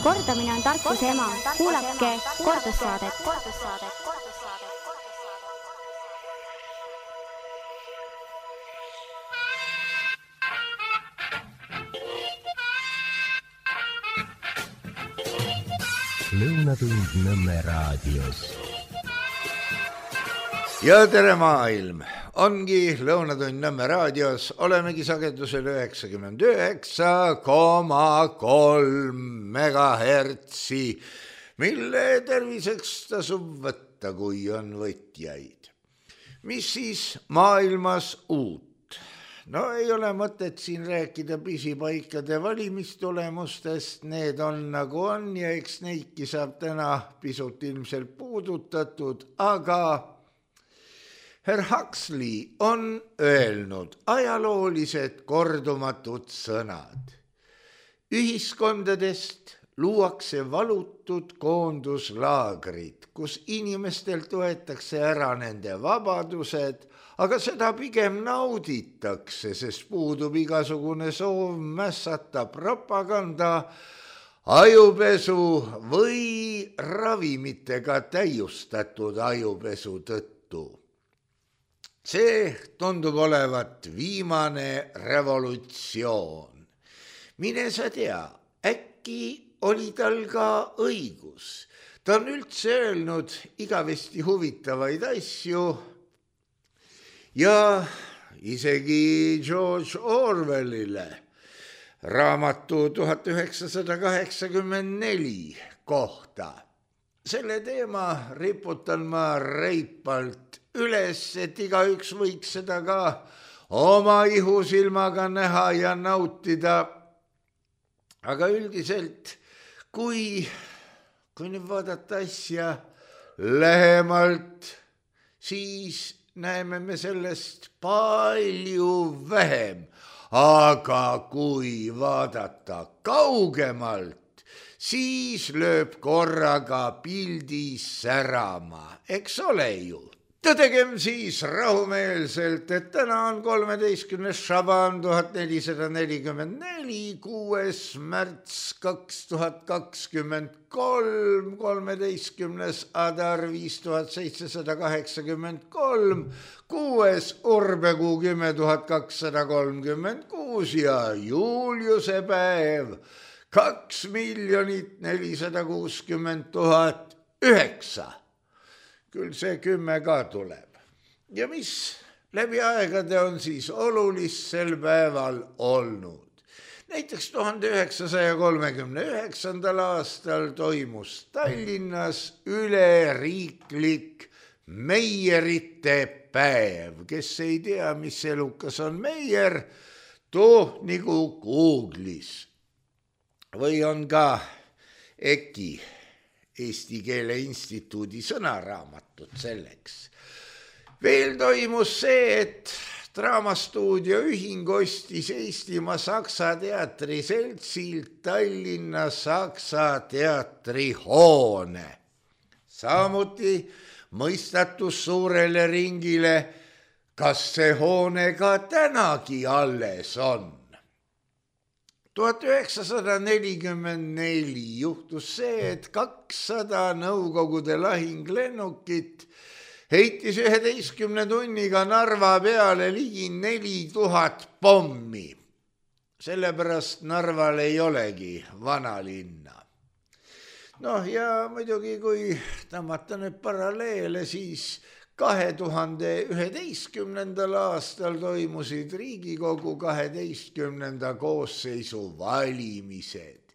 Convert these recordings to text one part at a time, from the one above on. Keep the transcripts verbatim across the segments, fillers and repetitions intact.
Kordamine on tarkuse ema. Kuulake kordussaadet. Lõunatund Nõmme raadios. Ja tere maailm! Ongi Lõunatund Nõmme raadios, olemegi sagedusel üheksakümmend üheksa koma kolm megahertsi, mille terviseks tasub võtta, kui on võtjaid. Mis siis maailmas uut? No ei ole mõtet siin rääkida pisipaikade valimistulemustest, need on nagu on ja eks neidki saab täna pisut ilmselt puudutatud, aga Herr Huxley on öelnud ajaloolised kordumatud sõnad. Ühiskondadest luuakse valutud koonduslaagrid, kus inimestelt võetakse ära nende vabadused, aga seda pigem nauditakse, sest puudub igasugune soov mässata propaganda, ajupesu või ravimitega täiustatud ajupesu tõttu. See tundub olevat viimane revolutsioon. Mine sa tea, äkki oli tal ka õigus. Ta on üldse öelnud igavesti huvitavaid asju ja isegi George Orwellile raamatu tuhat üheksasada kaheksakümmend neli kohta. Selle teema riputan ma reipalt üles, et igaüks võiks seda ka oma ihusilmaga näha ja nautida. Aga üldiselt, kui, kui nüüd vaadata asja lähemalt, siis näeme me sellest palju vähem. Aga kui vaadata kaugemalt, siis lööb korraga pildis särama, eks ole ju. Tõdegem siis rahumeelselt, et täna on kolmeteistkümnes Šaban tuhat nelisada nelikümmend neli, kuues märts kaks tuhat kakskümmend kolm, kolmeteistkümnes Adar viis tuhat seitsesada kaheksakümmend kolm, kuues Urbekuu kümme tuhat kakssada kolmkümmend kuus ja Juliuse päev kaks miljonit nelisada kuuskümmend tuhat üheksa. Küll see kümme ka tuleb. Ja mis läbi aegade on siis olulist sel päeval olnud? Näiteks tuhande üheksasaja kolmekümne üheksandal aastal toimus Tallinnas üleriiklik meierite päev. Kes ei tea, mis elukas on meier, too nagu Googlis. Või on ka EKI, Eesti Keele Instituudi sõnaraamatud selleks. Veel toimus see, et Draamastuudio ühing ostis Eestimaa Saksa teatri seltsilt Tallinna Saksa teatri hoone. Samuti mõistatus suurele ringile, kas see hoone ka tänagi alles on. tuhat üheksasada nelikümmend neli juhtus see, et kakssada Nõukogude lahinglennukit heitis üheteistkümne tunniga Narva peale ligi neli tuhat pommi. Sellepärast Narval ei olegi vanalinna. Noh ja muidugi, kui tõmmata nüüd paralleele, siis kahe tuhande üheteistkümnendal aastal toimusid Riigikogu kaheteistkümnenda koosseisu valimised.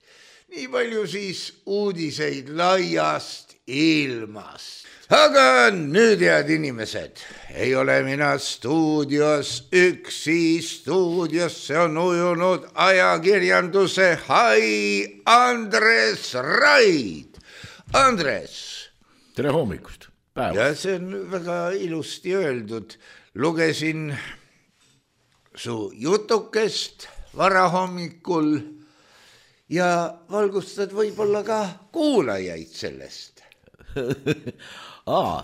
Nii palju siis uudiseid laiast ilmast. Aga nüüd, head inimesed, ei ole mina stuudios üksi, stuudiosse on ujunud ajakirjanduse hai Andres Raid. Andres. Tere hommikust. Päeva. Ja see on väga ilusti öeldud. Lugesin su jutukest varahommikul ja valgustad võib-olla ka kuulajaid sellest. Aa,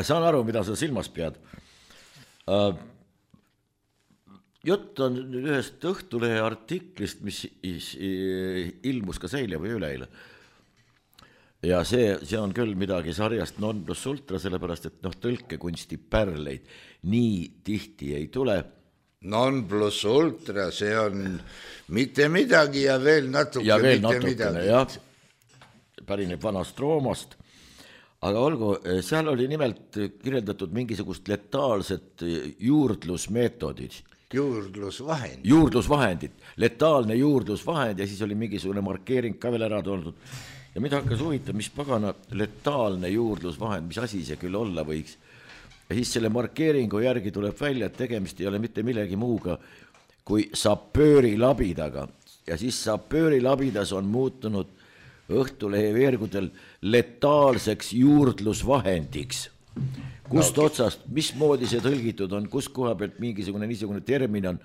saan aru, mida sa silmas pead. jutt on ühest Õhtulehe artiklist, mis ilmus ka eile või üleeile. Ja see, see on küll midagi sarjast non plus ultra, sellepärast, et noh, tõlkekunsti pärleid nii tihti ei tule. Non plus ultra, see on mitte midagi ja veel natuke ja veel mitte natukene, midagi. jah, pärineb vanast Roomast. Aga olgu, seal oli nimelt kirjeldatud mingisugust letaalset juurdlusmeetodid. Juurdlusvahend. Juurdlusvahendid, letaalne juurdlusvahend ja siis oli mingisugune markeering ka veel ära toonud. Ja mida hakkas huvitav, mis pagana letaalne juurdlusvahend, mis asi see küll olla võiks. Ja siis selle markeeringu järgi tuleb välja, et tegemist ei ole mitte millegi muuga kui sapöörilabidaga. Ja siis sapöörilabidas on muutunud Õhtulehe veergudel letaalseks juurdlusvahendiks. Kust no, otsast, mismoodi see tõlgitud on, kus koha pealt mingisugune niisugune termin on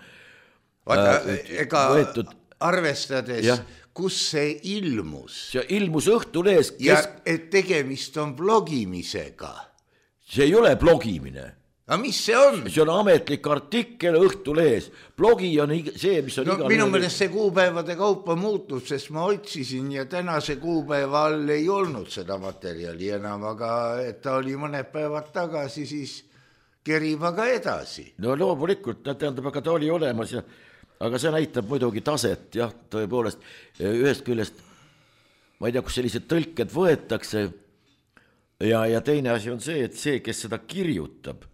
Vaata, äh, ega võetud. Arvestades, ja. Kus see ilmus. See ilmus Õhtulehes. Kes... Ja et tegemist on blogimisega. See ei ole blogimine. Aga mis see on? See on ametlik artikkel Õhtulehes. Blogi on see, mis on no, igal... Minu meelest see kuupäevade kaupa muutud, sest ma otsisin ja tänase kuupäeva all ei olnud seda materjali enam, aga et ta oli mõned päevad tagasi, siis kerib aga edasi. No loomulikult, tähendab, aga ta oli olemas, ja, aga see näitab muidugi taset, jah, tõepoolest. Ühest küljest, ma ei tea, kus sellised tõlked võetakse ja, ja teine asi on see, et see, kes seda kirjutab,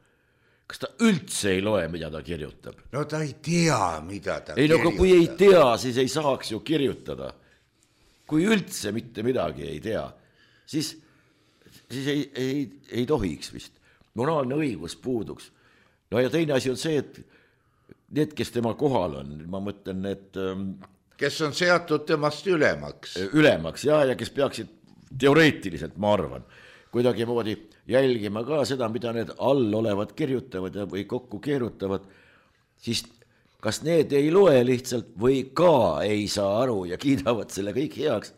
kas ta üldse ei loe, mida ta kirjutab? No ta ei tea, mida ta ei, kirjutab. No kui ei tea, siis ei saaks ju kirjutada. Kui üldse mitte midagi ei tea, siis, siis ei, ei, ei tohiks vist. Moraalne õigus puuduks. No ja teine asi on see, et need, kes tema kohal on, ma mõtlen, et... Kes on seatud temast ülemaks. Ülemaks, ja, ja kes peaksid teoreetiliselt, ma arvan, kuidagi moodi jälgima ka seda, mida need all olevad kirjutavad või kokku keerutavad, siis kas need ei loe lihtsalt või ka ei saa aru ja kiidavad selle kõik heaks.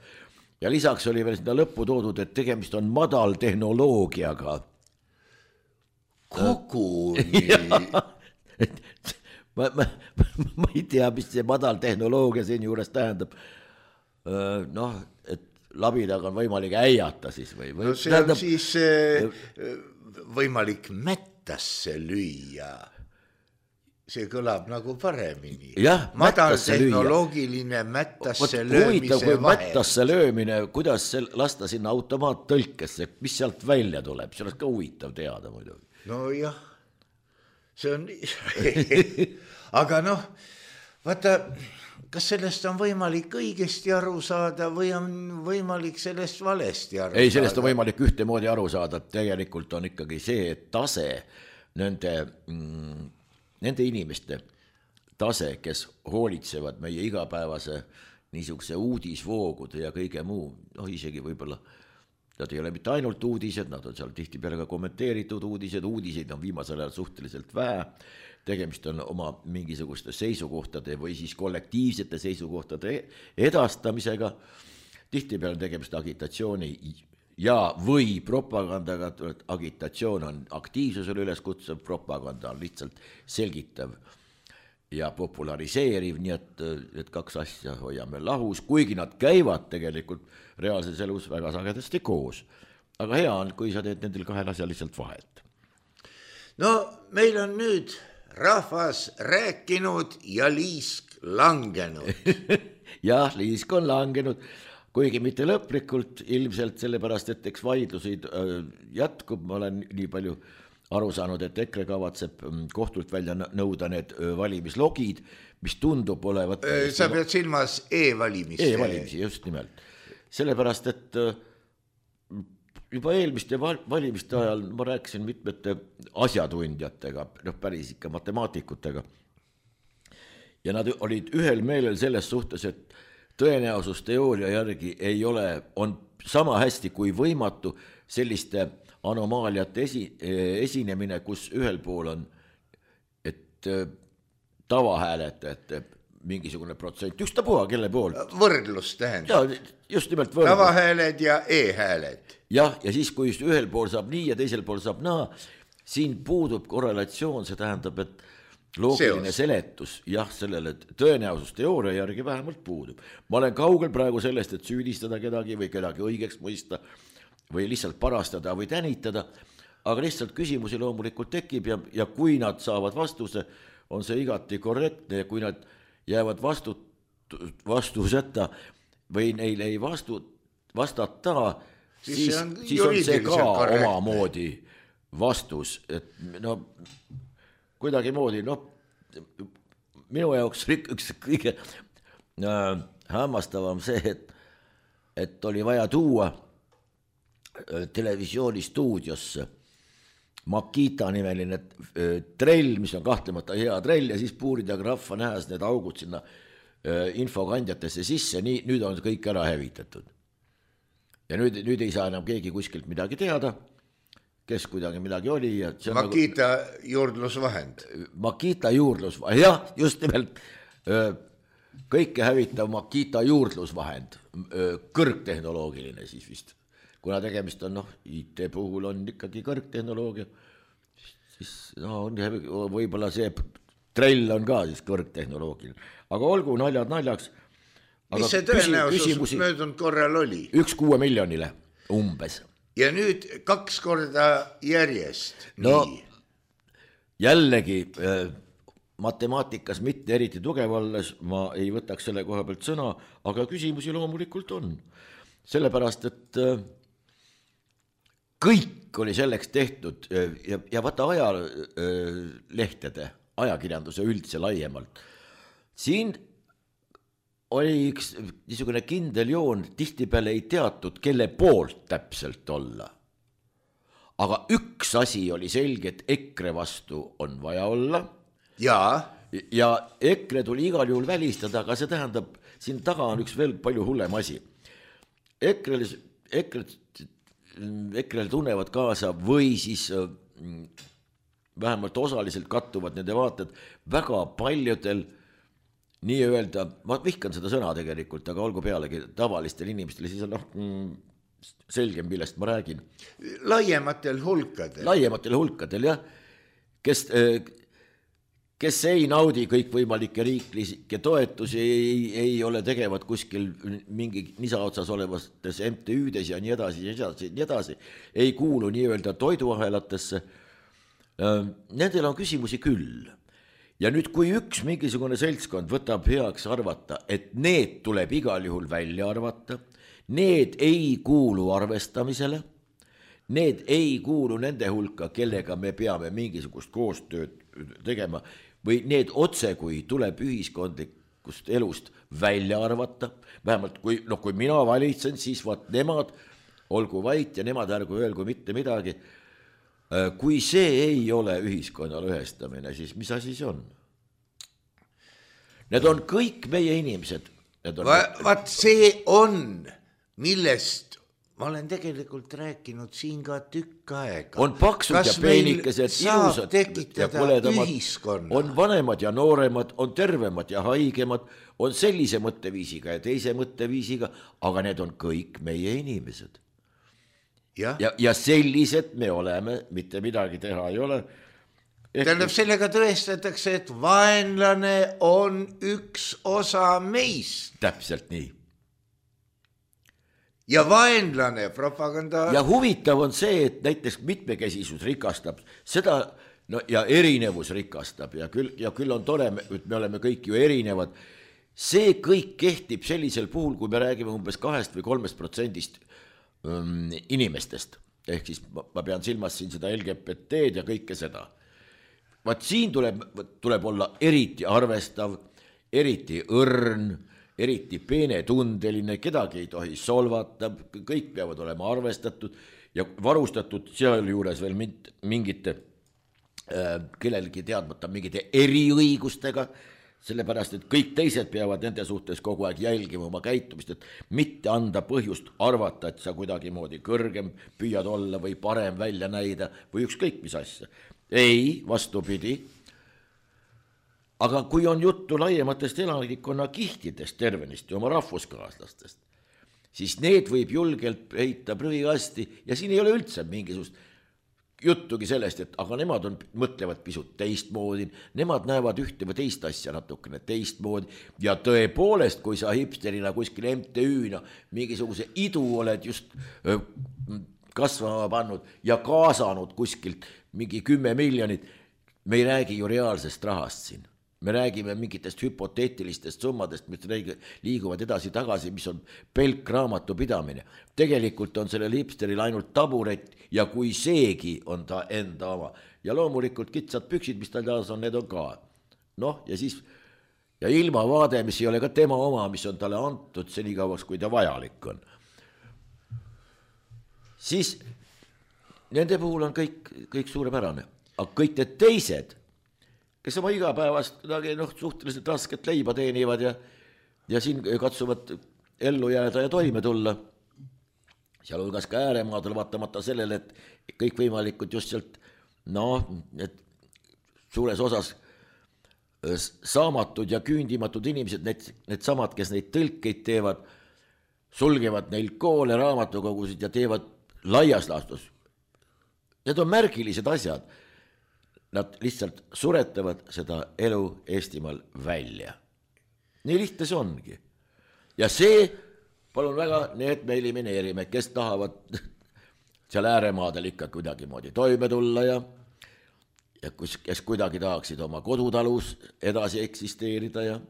Ja lisaks oli veel seda lõppu toodud, et tegemist on madaltehnoloogiaga. Koguni. ma, ma, ma ei tea, mis see madaltehnoloogia siin juures tähendab. Noh, et labidaga on võimalik äiata siis või, või? No see on tähendab... siis äh, võimalik mättasse lüüa. See kõlab nagu paremini. Jah, madaltehnoloogiline mättasse löömise vahend. Mättasse löömine, kuidas see lasta sinna automaattõlkesse, mis sealt välja tuleb, see oleks ka huvitav teada muidugi. No jah, see on aga noh, vaata, kas sellest on võimalik õigesti aru saada või on võimalik sellest valesti aru saada? Ei, sellest on võimalik ühtemoodi aru saada, tegelikult on ikkagi see, et tase, nende, mm, nende inimeste tase, kes hoolitsevad meie igapäevase niisuguse uudisvoogude ja kõige muu, noh isegi võib-olla, nad ei ole mitte ainult uudised, nad on seal tihtipeale ka kommenteeritud uudised, uudiseid on viimasel ajal suhteliselt vähe, tegemist on oma mingisuguste seisukohtade või siis kollektiivsete seisukohtade edastamisega, tihtipeale tegemist agitatsiooni ja või propagandaga, agitatsioon on aktiivsusele üleskutsuv, propaganda on lihtsalt selgitav ja populariseeriv, nii et, et kaks asja hoiame lahus, kuigi nad käivad tegelikult reaalses elus väga sagedasti koos. Aga hea on, kui sa teed nendel kahel asja lihtsalt vahet. No meil on nüüd rahvas rääkinud ja liisk langenud. Jah, liisk on langenud, kuigi mitte lõplikult, ilmselt sellepärast, et eks vaidlusid jätkub, ma olen nii palju aru saanud, et EKRE kavatseb kohtult välja nõuda need valimislogid, mis tundub olevat... Sa pead silmas e-valimisi. E-valimisi, just nimelt. Sellepärast, et juba eelmiste valimiste ajal ma rääkisin mitmete asjatundjatega, noh päris ikka matemaatikutega, ja nad olid ühel meelel selles suhtes, et tõenäosusteooria järgi ei ole, on sama hästi kui võimatu selliste anomaaliate esi, esinemine, kus ühel pool on, et tavahääletajate mingisugune protsent, just ta puha, kelle pool. Võrdlus tähendab. Ja, just nimelt võrdlus. Tavahääled ja e-hääled. Jah, ja siis, kui ühel pool saab nii ja teisel pool saab naa, siin puudub korrelatsioon, see tähendab, et loogiline Seos. Seletus, jah, sellele tõenäosusteooria järgi vähemalt puudub. Ma olen kaugel praegu sellest, et süüdistada kedagi või kedagi õigeks mõista või lihtsalt parastada või tänitada, aga lihtsalt küsimusi loomulikult tekib ja, ja kui nad saavad vastuse, on see igati korrektne ja kui nad jäävad vastu, vastuseta või neile ei vastu, vastata, siis, siis, on, siis on see ka korrektne. Omamoodi vastus, et no kuidagi moodi, noh, minu jaoks üks kõige äh, hämmastavam see, et, et oli vaja tuua äh, televisioonistuudiosse Makita nimeline trell, mis on kahtlemata hea trell ja siis puurida graffa nähes need augud sinna infokandjatesse sisse, nii, nüüd on kõik ära hävitatud. Ja nüüd, nüüd ei saa enam keegi kuskilt midagi teada, kes kuidagi midagi oli. Ja Makita nagu, juurdlusvahend. Makita juurdlusvahend, jah, just nimelt kõike hävitav Makita juurdlusvahend, kõrgtehnoloogiline siis vist. Kuna tegemist on, noh, I T puhul on ikkagi kõrgtehnoloogia, siis no, võib-olla see trell on ka siis kõrgtehnoloogiline. Aga olgu naljad naljaks. Mis see tõenäosus möödunud korral oli? Üks kuue miljonile umbes. Ja nüüd kaks korda järjest. No nii. Jällegi matemaatikas mitte eriti tugev olles, ma ei võtaks selle koha pealt sõna, aga küsimusi loomulikult on. Sellepärast, et kõik oli selleks tehtud ja, ja vaata ajalehtede, ajakirjanduse üldse laiemalt. Siin oli üks niisugune kindel joon, tihtipeale ei teatud, kelle poolt täpselt olla. Aga üks asi oli selge, et EKRE vastu on vaja olla. Ja, ja EKRE tuli igal juhul välistada, aga see tähendab, siin taga on üks veel palju hullem asi. EKRE, EKRE EKRE tunnevad kaasa või siis vähemalt osaliselt kattuvad nende vaated väga paljudel nii-öelda, ma vihkan seda sõna tegelikult, aga olgu pealegi tavalistel inimestel, siis on noh, selgem, millest ma räägin. Laiematel hulkadel. Laiematel hulkadel, jah, kes, kes ei naudi kõikvõimalikke riiklikke toetusi, ei, ei ole tegevad kuskil mingi nisaotsas olevates M T Ü-des ja nii edasi, ja nii edasi, ei kuulu nii-öelda toiduahelatesse. Nendel on küsimusi küll. Ja nüüd, kui üks mingisugune seltskond võtab heaks arvata, et need tuleb igal juhul välja arvata, need ei kuulu arvestamisele, need ei kuulu nende hulka, kellega me peame mingisugust koostööd tegema, või need otse, kui tuleb ühiskondlikust elust välja arvata, vähemalt kui, no, kui mina valitsen, siis vaat nemad olgu vait ja nemad ärgu öelgu mitte midagi. Kui see ei ole ühiskonna lõhestamine, siis mis asi see on? Need on kõik meie inimesed. On... Va, vaat see on, millest ma olen tegelikult rääkinud siin ka tükk aega. On paksud kas ja peenikesed, ilusad ja põledamad, on vanemad ja nooremad, on tervemad ja haigemad, on sellise mõtteviisiga ja teise mõtteviisiga, aga need on kõik meie inimesed. Ja, ja, ja sellised me oleme, mitte midagi teha ei ole. Tähendab, sellega tõestatakse, et vaenlane on üks osa meist. Täpselt nii. Ja vaenlane propaganda... Ja huvitav on see, et näiteks mitmekesisus rikastab seda, no, ja erinevus rikastab ja küll, ja küll on tore, et me oleme kõik ju erinevad. See kõik kehtib sellisel puhul, kui me räägime umbes kahest või kolmest protsendist inimestest, ehk siis ma pean silmas siin seda L G B T-d ja kõike seda. Vaat siin tuleb, tuleb olla eriti arvestav, eriti õrn, eriti peenetundeline, kedagi ei tohi solvata, kõik peavad olema arvestatud ja varustatud seal juures veel mingite, kellelgi teadmata mingite eriõigustega, sellepärast, et kõik teised peavad nende suhtes kogu aeg jälgima oma käitumist, et mitte anda põhjust arvata, et sa kuidagi moodi kõrgem püüad olla või parem välja näida või ükskõik mis asja. Ei, vastupidi. Aga kui on juttu laiematest elanikkonna kihtidest tervenisti oma rahvuskaaslastest, siis need võib julgelt heita prügikasti ja siin ei ole üldse mingisugust juttugi sellest, et aga nemad on, mõtlevad pisut teistmoodi, nemad näevad ühte või teist asja natukene teistmoodi ja tõepoolest, kui sa hipsterina kuskil M T Ü-na mingisuguse idu oled just öö, kasvama pannud ja kaasanud kuskilt mingi kümme miljonit, me ei räägi ju reaalsest rahast siin. Me räägime mingitest hüpoteetilistest summadest, mis liiguvad edasi-tagasi, mis on pelk raamatu pidamine. Tegelikult on sellel hipsteril ainult taburet ja kui seegi on ta enda oma. Ja loomulikult kitsad püksid, mis tal taas on, need on ka. Noh, ja siis ja ilmavaade, mis ei ole ka tema oma, mis on talle antud senikauaks, kui ta vajalik on. Siis nende puhul on kõik, kõik suurepärane. Aga kõik need teised, kes oma igapäevast noh, suhteliselt rasket leiba teenivad ja, ja siin katsuvad ellu jääda ja toime tulla. Seal hulgas ka ääremaadel vaatamata sellele, et kõik võimalikud just sealt, noh, et suures osas saamatud ja küündimatud inimesed, need, need samad, kes neid tõlkeid teevad, sulgevad neil koole, raamatukogusid ja teevad laias laastus. Need on märgilised asjad. Nad lihtsalt suretavad seda elu Eestimaal välja. Nii lihtne see ongi. Ja see, palun väga, need me elimineerime, kes tahavad seal ääremaadel ikka kuidagi moodi toime tulla ja, ja kus, kes kuidagi tahaksid oma kodutalus edasi eksisteerida ja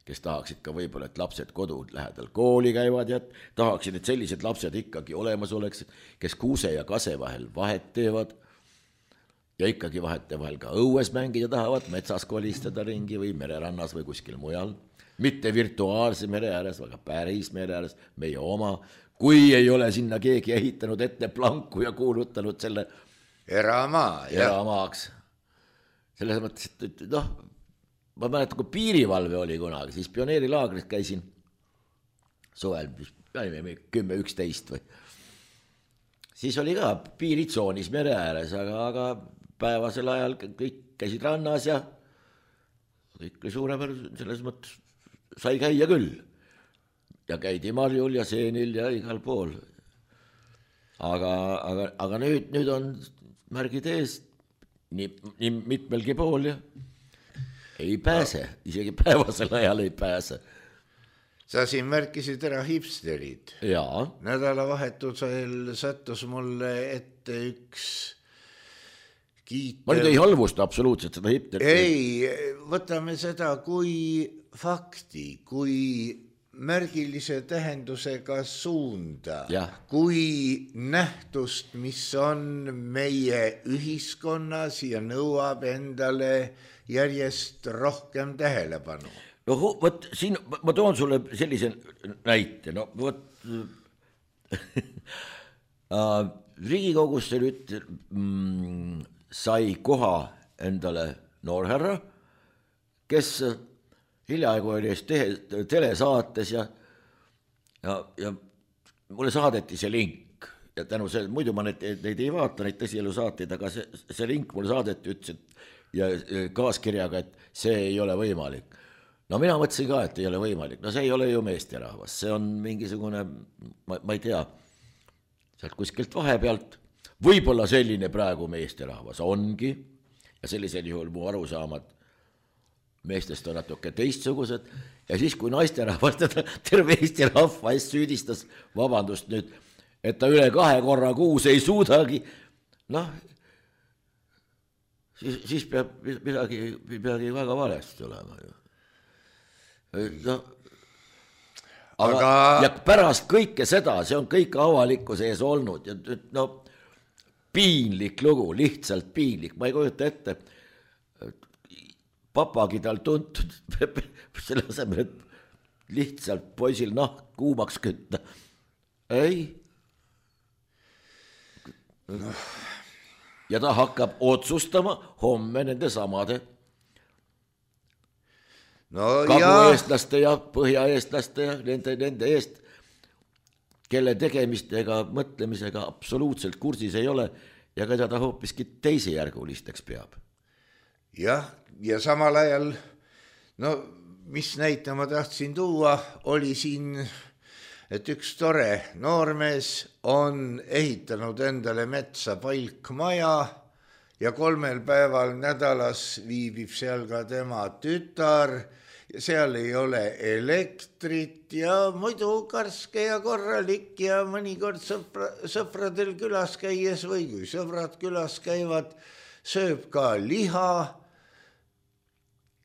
kes tahaksid ka võib-olla, et lapsed kodu lähedal kooli käivad ja tahaksid, et sellised lapsed ikkagi olemas oleks, kes kuuse ja kase vahel vahet teevad. Ja ikkagi vahete vahel ka õues mängida tahavad, metsas kolistada ringi või mererannas või kuskil mujal. Mitte virtuaalse mere ääres, aga päris mere ääres, meie oma. Kui ei ole sinna keegi ehitanud ette planku ja kuulutanud selle eramaa, eramaaks. Selles mõttes, et noh, ma mäletan, kui piirivalve oli kunagi, siis pioneerilaagris käisin suvel, kümme üksteist või. Siis oli ka piiritsoonis mere ääres, aga, aga päevasel ajal kõik käisid rannas ja kõik oli suuremär, selles mõttes sai käia küll. Ja käidi marjul ja seenil ja igal pool. Aga, aga, aga nüüd, nüüd on märgid ees nii, nii mitmelgi pool ja ei pääse, isegi päevasel ajal ei pääse. Sa siin märkisid ära hipsterid. Jaa. Nädalavahetusel sattus mulle ette üks kiitev... Ma nüüd ei halvusta absoluutselt seda hipsterit. Ei, võtame seda kui fakti, kui märgilise tähendusega suunda, ja. Kui nähtust, mis on meie ühiskonnas ja nõuab endale järjest rohkem tähelepanu. No võt, siin ma toon sulle sellise näite, no võt Riigikogusse nüüd mm, sai koha endale noorherra, kes hiljaaegu oli te, telesaates ja, ja, ja mulle saadeti see link ja tänu see, muidu ma neid, neid ei vaata, neid tõsielu saateid, aga see, see link mulle saadeti, ütles, et ja kaaskirjaga, et see ei ole võimalik. No mina mõtlesin ka, et ei ole võimalik. No see ei ole ju meesterahvas. See on mingisugune, ma, ma ei tea, sealt kuskilt vahepealt. Võib-olla selline praegu meesterahvas ongi. Ja sellisel juhul mu arusaamad meestest on natuke teistsugused. Ja siis, kui naisterahvas teda terve Eesti rahva eest süüdistas, vabandust nüüd, et ta üle kahe korra kuus ei suudagi, noh, siis, siis peab midagi, midagi väga valesti olema ju. No, aga, aga ja pärast kõike seda, see on kõik avalikkuse ees olnud ja no piinlik lugu, lihtsalt piinlik, ma ei kujuta ette, papagi tal tuntud selle asemel, et lihtsalt poisil nahk kuumaks kütta. Ei. Ja ta hakkab otsustama homme nende samade no, kagu-eestlaste ja põhja-eestlaste ja nende, nende eest, kelle tegemistega, mõtlemisega absoluutselt kursis ei ole ja keda ta hoopiski teisejärgulisteks peab. Jah, ja samal ajal, no mis näite ma tahtsin tuua, oli siin et üks tore noormees on ehitanud endale metsa palkmaja ja kolmel päeval nädalas viibib seal ka tema tütar ja seal ei ole elektrit ja muidu karske ja korralik ja mõnikord sõpra, sõpradel külas käies või kui sõbrad külas käivad, sööb ka liha.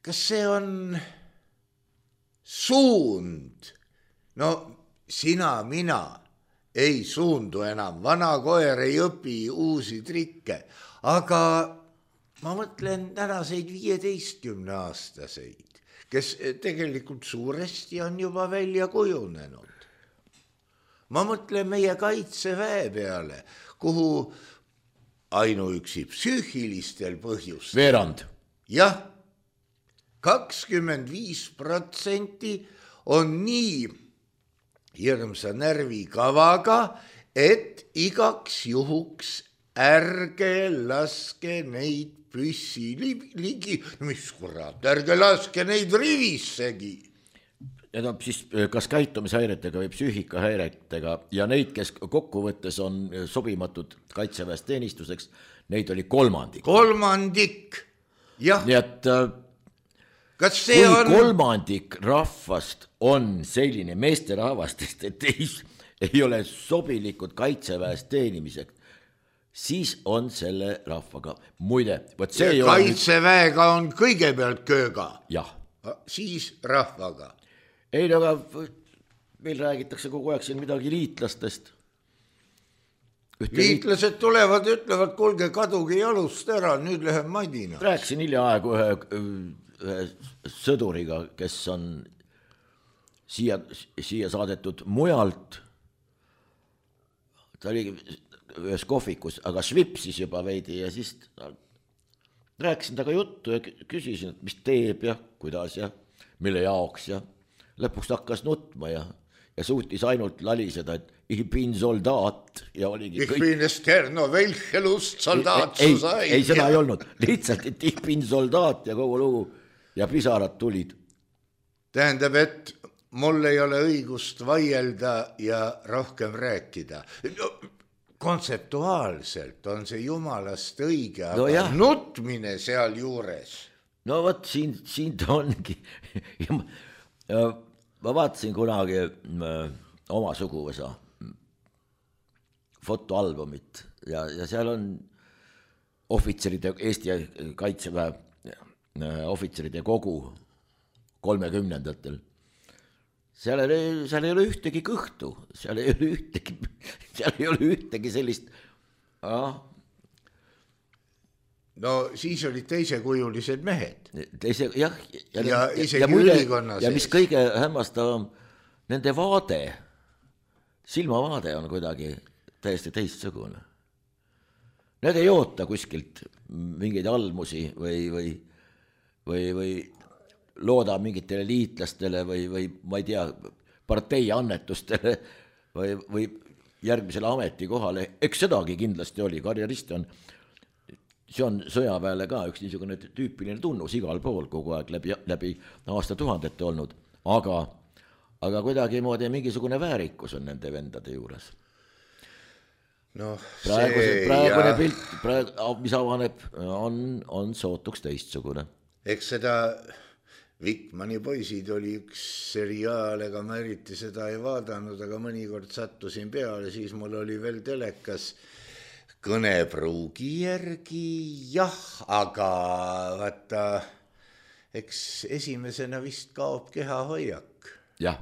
Kas see on suund? No sina, mina ei suundu enam, vana koer ei õpi uusi trikke, aga ma mõtlen tänaseid viieteistkümne aastaseid, kes tegelikult suuresti on juba välja kujunenud. Ma mõtlen meie kaitseväe peale, kuhu ainuüksi psüühilistel põhjustel. Veerand. Jah, kakskümmend viis protsenti on nii hirmsa närvikavaga, et igaks juhuks ärge laske neid püssi ligi, mis kurat, ärge laske neid rivissegi. Need on siis kas käitumishäiretega või psüühikahäiretega ja neid, kes kokkuvõttes on sobimatud kaitseväes teenistuseks, neid oli kolmandik. Kolmandik, jah. Nii et kas see kui on... kolmandik rahvast on selline meesterahvastest, et ei, ei ole sobilikud kaitseväes teenimiseks, siis on selle rahvaga. Muide, võt see ei ole... Kaitseväega on kõigepealt kööga. Jah. Siis rahvaga. Ei, aga meil räägitakse kogu aeg siin midagi liitlastest. Ühte Liitlased tulevad, ütlevad, kuulge, kadugi jalust ära, nüüd läheb Madina. Rääkisin hiljaaegu ühe, ühe sõduriga, kes on siia, siia saadetud mujalt. Ta oli ühes kohvikus, aga švipsis juba veidi ja siis rääkisin taga juttu ja küsisin, et mis teeb ja kuidas ja mille jaoks ja lõpuks hakkas nutma ja, ja suutis ainult laliseda, et ich bin soldaat ja oligi ich kõik... Ich bin esterno velchelust soldaat ei, ei, ei, seda ei olnud, lihtsalt, et ich bin soldaat ja kogu lugu ja pisarad tulid. Tähendab, et mul ei ole õigust vaielda ja rohkem rääkida. Kontseptuaalselt on see jumalast õige, aga no jah. Nutmine seal juures. No võt, siin, siin ta ongi. Ja ma, ja ma vaatasin kunagi oma suguvõsa fotoalbumit ja, ja seal on ohvitseride, Eesti kaitseväe ohvitseride kogu kolmekümnendatel. Seal ei, seal ei ole ühtegi kõhtu, seal ei ole ühtegi, seal ei ole ühtegi sellist... Ah. No siis olid teisekujulised mehed. Teise, jah, ja, ja, isegi ja, ülikonna ja mis kõige hämmastavam, nende vaade, silmavaade on kuidagi täiesti teistsugune. Need ei oota kuskilt mingeid almusi või, või, või, või looda mingitele liitlastele või, või ma ei tea, partei annetustele või, või järgmisele ametikohale. Eks sedagi kindlasti oli, karjerist on, see on sõjaväele ka üks niisugune tüüpiline tunnus igal pool kogu aeg läbi, läbi aastatuhandete olnud, aga, aga kuidagi moodi mingisugune väärikus on nende vendade juures. No, praeguse, praegune ja... pilt, praegu, mis avaneb, on, on sootuks teistsugune. Eks seda Vikmani poisid oli üks seriaal, ega ma eriti seda ei vaadanud, aga mõnikord sattusin peale, siis mul oli veel telekas kõnepruugi järgi, jah, aga vaata, eks esimesena vist kaob kehahoiak. Jah.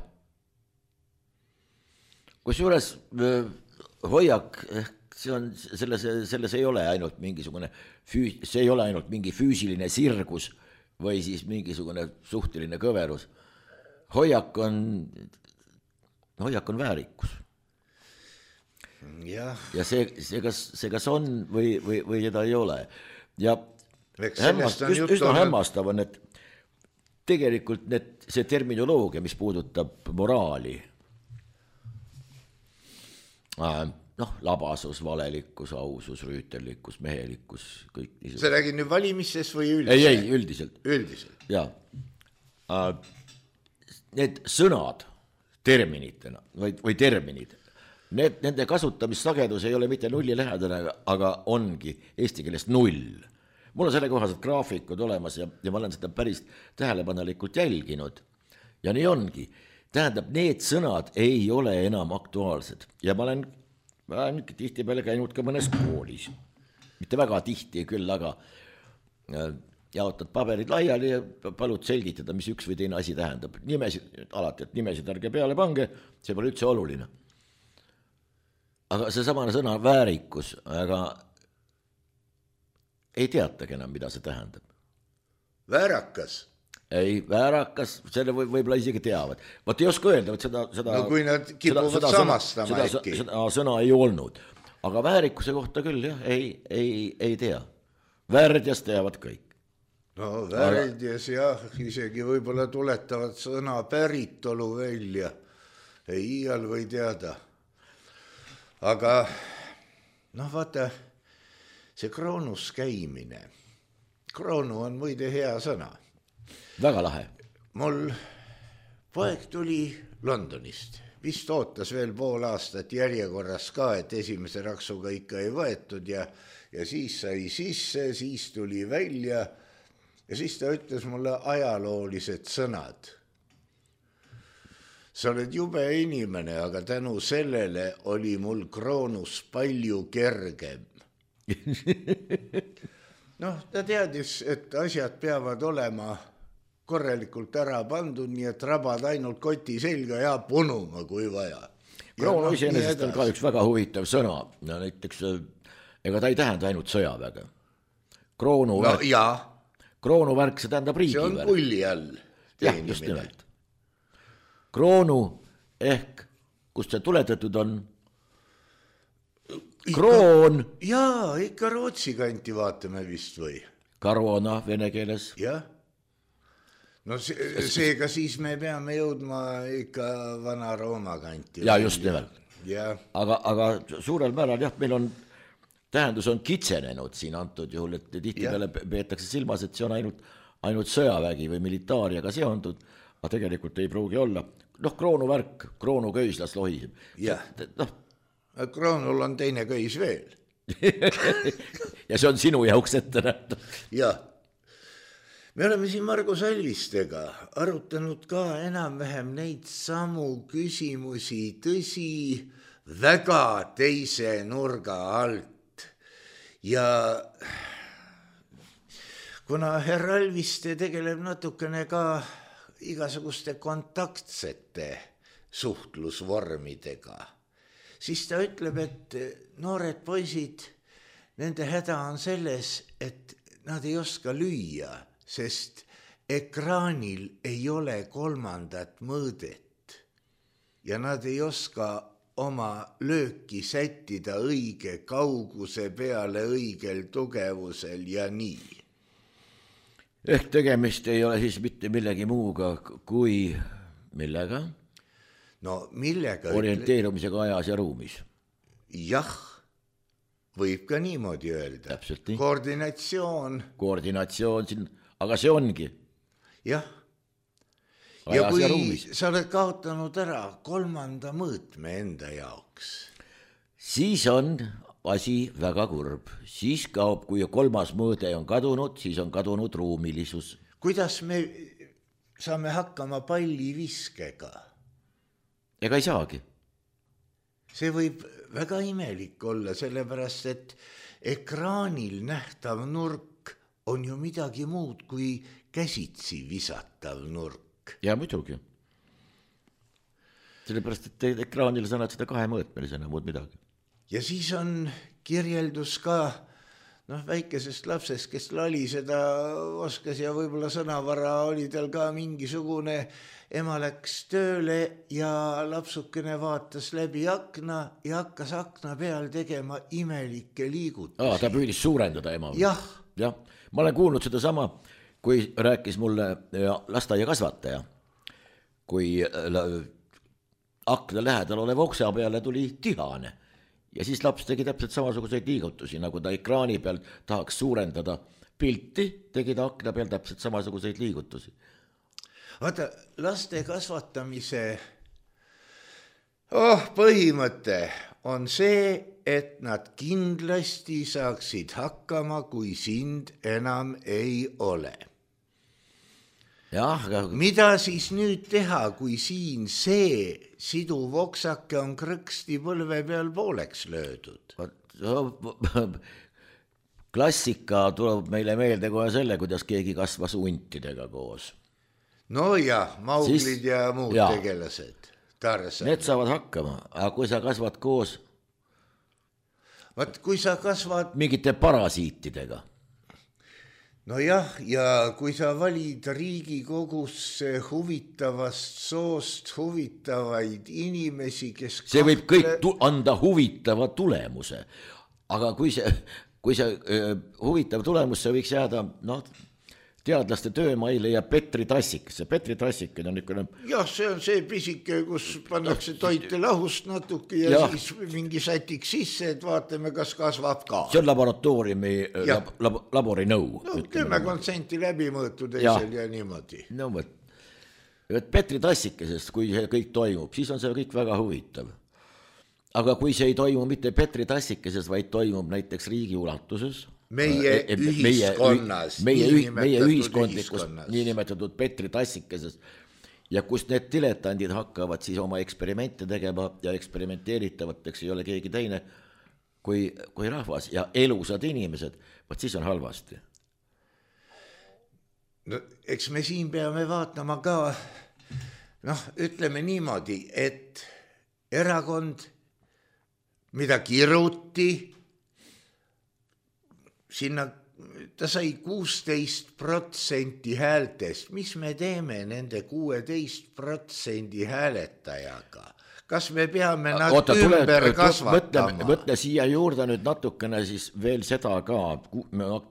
Kusjuures hoiak, see on, selles, selles ei ole ainult mingisugune, füü, see ei ole ainult mingi füüsiline sirgus või siis mingisugune suhteline kõverus. Hoiak on, hoiak on väärikus. Ja, ja see, see, kas, see kas on või, või, või seda ei ole. Ja hämmast, üsna, üsna on... hämmastav on, et tegelikult need, see terminoloogia, mis puudutab moraali, noh, labasus, valelikkus, ausus, rüütellikkus, mehelikkus, kõik niisugune. Sa räägid nüüd valimistes või üldiselt? Ei, ei, üldiselt. Üldiselt. Jaa. Need sõnad terminitena või, või terminid. Need, nende kasutamissagedus ei ole mitte nulli lähedane, aga ongi eesti keeles null. Mul on selle kohased graafikud olemas ja, ja ma olen seda päris tähelepanelikult jälginud. Ja nii ongi. Tähendab, need sõnad ei ole enam aktuaalsed. Ja ma olen, ma olen tihti peale käinud ka mõnes koolis. Mitte väga tihti küll, aga jaotad paberid laiali ja palud selgitada, mis üks või teine asi tähendab. Nimesid, alati, et nimesid ärge peale pange, see pole üldse oluline. Aga see samane sõna väärikus, aga ei teatagi enam, mida see tähendab. Väärakas? Ei, väärakas, selle võib, võib-olla isegi teavad. Vaat ei oska öelda, et seda, seda... No kui nad kipuvad seda, seda samastama seda, äkki. Seda sõna ei olnud. Aga väärikuse kohta küll, jah, ei, ei, ei tea. Värdjas teavad kõik. No värdjas, jah, isegi võib-olla tuletavad sõna päritolu välja. Ei iial või teada. Aga, noh vaata, see kroonus käimine. Kroonu on muide hea sõna. Väga lahe. Mul poeg tuli Londonist. Vist ootas veel pool aastat järjekorras ka, et esimese raksuga ikka ei võetud ja, ja siis sai sisse, siis tuli välja ja siis ta ütles mulle ajaloolised sõnad. Sa oled jube inimene, aga tänu sellele oli mul kroonus palju kergem. Noh, ta teadis, et asjad peavad olema korralikult ära pandud, nii et rabad ainult koti selga ja punuma, kui vaja. Kroonu iseenesest on ka üks väga huvitav sõna. Ja näiteks, ega ta ei tähenda ainult sõjaväge. Kroonuvärk, no, ja. kroonuvärk, see tähendab riigivärk. See on pulli all. Jah, just nimelt. Kroonu ehk, kust see tuletatud on? Kroon. Jaa, ikka Rootsi kanti vaatame vist või? Karoona vene keeles. Jah. No see, seega siis me peame jõudma ikka vana Rooma kanti. Ja just nimelt. Ja. Aga, aga suurel määral jah, meil on, tähendus on kitsenenud siin antud juhul, et tihti peale peetakse silmas, et see on ainult, ainult sõjavägi või militaariaga seondud, aga tegelikult ei pruugi olla. Noh, kroonuvärk, kroonu köislas lohiseb. Jah. Noh. Kroonul on teine köis veel. Ja see on sinu jauks ette nähtud. Jah. Me oleme siin Margus Alvistega arutanud ka enam-vähem neid samu küsimusi, tõsi, väga teise nurga alt. Ja kuna herr Alviste tegeleb natukene ka igasuguste kontaktsete suhtlusvormidega, siis ta ütleb, et noored poisid, nende häda on selles, et nad ei oska lüüa, sest ekraanil ei ole kolmandat mõõdet ja nad ei oska oma lööki sättida õige kauguse peale õigel tugevusel ja nii. Ehk tegemist ei ole siis mitte millegi muuga kui millega? No millega? Orienteerumisega ajas ja ruumis. Jah, võib ka niimoodi öelda. Täpselt nii. Koordinatsioon. Koordinatsioon siin, aga see ongi. Jah. Ajas ja kui ja ruumis. Sa oled kaotanud ära kolmanda mõõtme enda jaoks, siis on asi väga kurb. Siis kaob, kui kolmas mõõde on kadunud, siis on kadunud ruumilisus. Kuidas me saame hakkama palliviskega? Ega ei saagi. See võib väga imelik olla, sellepärast, et ekraanil nähtav nurk on ju midagi muud kui käsitsi visatav nurk. Ja muidugi. Sellepärast, et ekraanil sa näed seda kahemõõtmelisena muud midagi. Ja siis on kirjeldus ka noh, väikesest lapsest, kes lali seda oskas ja võib-olla sõnavara oli tal ka mingisugune. Ema läks tööle ja lapsukene vaatas läbi akna ja hakkas akna peal tegema imelikke liigutusi. Aa, ta püüdis suurendada ema. Jah. Jah. Ma olen kuulnud seda sama, kui rääkis mulle lasteaia kasvataja, kui akna lähedal oleva oksa peale tuli tihane ja siis laps tegi täpselt samasuguseid liigutusi, nagu ta ekraani peal tahaks suurendada pilti, tegi ta akna peal täpselt samasuguseid liigutusi. Vaata, laste kasvatamise oh, põhimõte on see, et nad kindlasti saaksid hakkama, kui sind enam ei ole. jah, aga mida siis nüüd teha, kui siin see siduv oksake on krõksti põlve peal pooleks löödud? klassika tuleb meile meelde kohe selle, kuidas keegi kasvas huntidega koos. no jah, Mauglid siis, ja muud ja. tegelased. Tarzan. Need saavad hakkama, aga kui sa kasvad koos vaat kui sa kasvad mingite parasiitidega. no jah, ja kui sa valid Riigikogusse huvitavast soost huvitavaid inimesi, kes see kahtle... võib kõik tu- anda huvitava tulemuse, aga kui see, kui see uh, huvitav tulemus, see võiks jääda, noh, teadlaste töömaile ja Petri tassikasse. Petri tassik on niisugune... jah, see on see pisike, kus pannakse toite lahust natuke ja, ja siis mingi sätik sisse, et vaatame, kas kasvab ka. See on laboratooriumi lab, lab, labori nõu. No, kümme kontsenti läbi mõõtu teisel ja, ja niimoodi. No võt. Petri tassikesest, kui see kõik toimub, siis on see kõik väga huvitav. Aga kui see ei toimu mitte Petri tassikesest, vaid toimub näiteks riigi ulatuses, meie ühiskonnas, meie, meie, meie ühiskondlikus niinimetatud Petri tassikeses ja kus need diletandid hakkavad siis oma eksperimente tegema ja eksperimenteeritavateks ei ole keegi teine kui, kui rahvas ja elusad inimesed, vaat siis on halvasti. No, eks me siin peame vaatama ka, noh, ütleme niimoodi, et erakond, mida kiruti, sinna ta sai kuusteist protsenti häältest. Mis me teeme nende kuueteist protsendi hääletajaga? Kas me peame nad Oota, ümber tule, kasvatama? Mõtle, mõtle siia juurde nüüd natukene siis veel seda ka.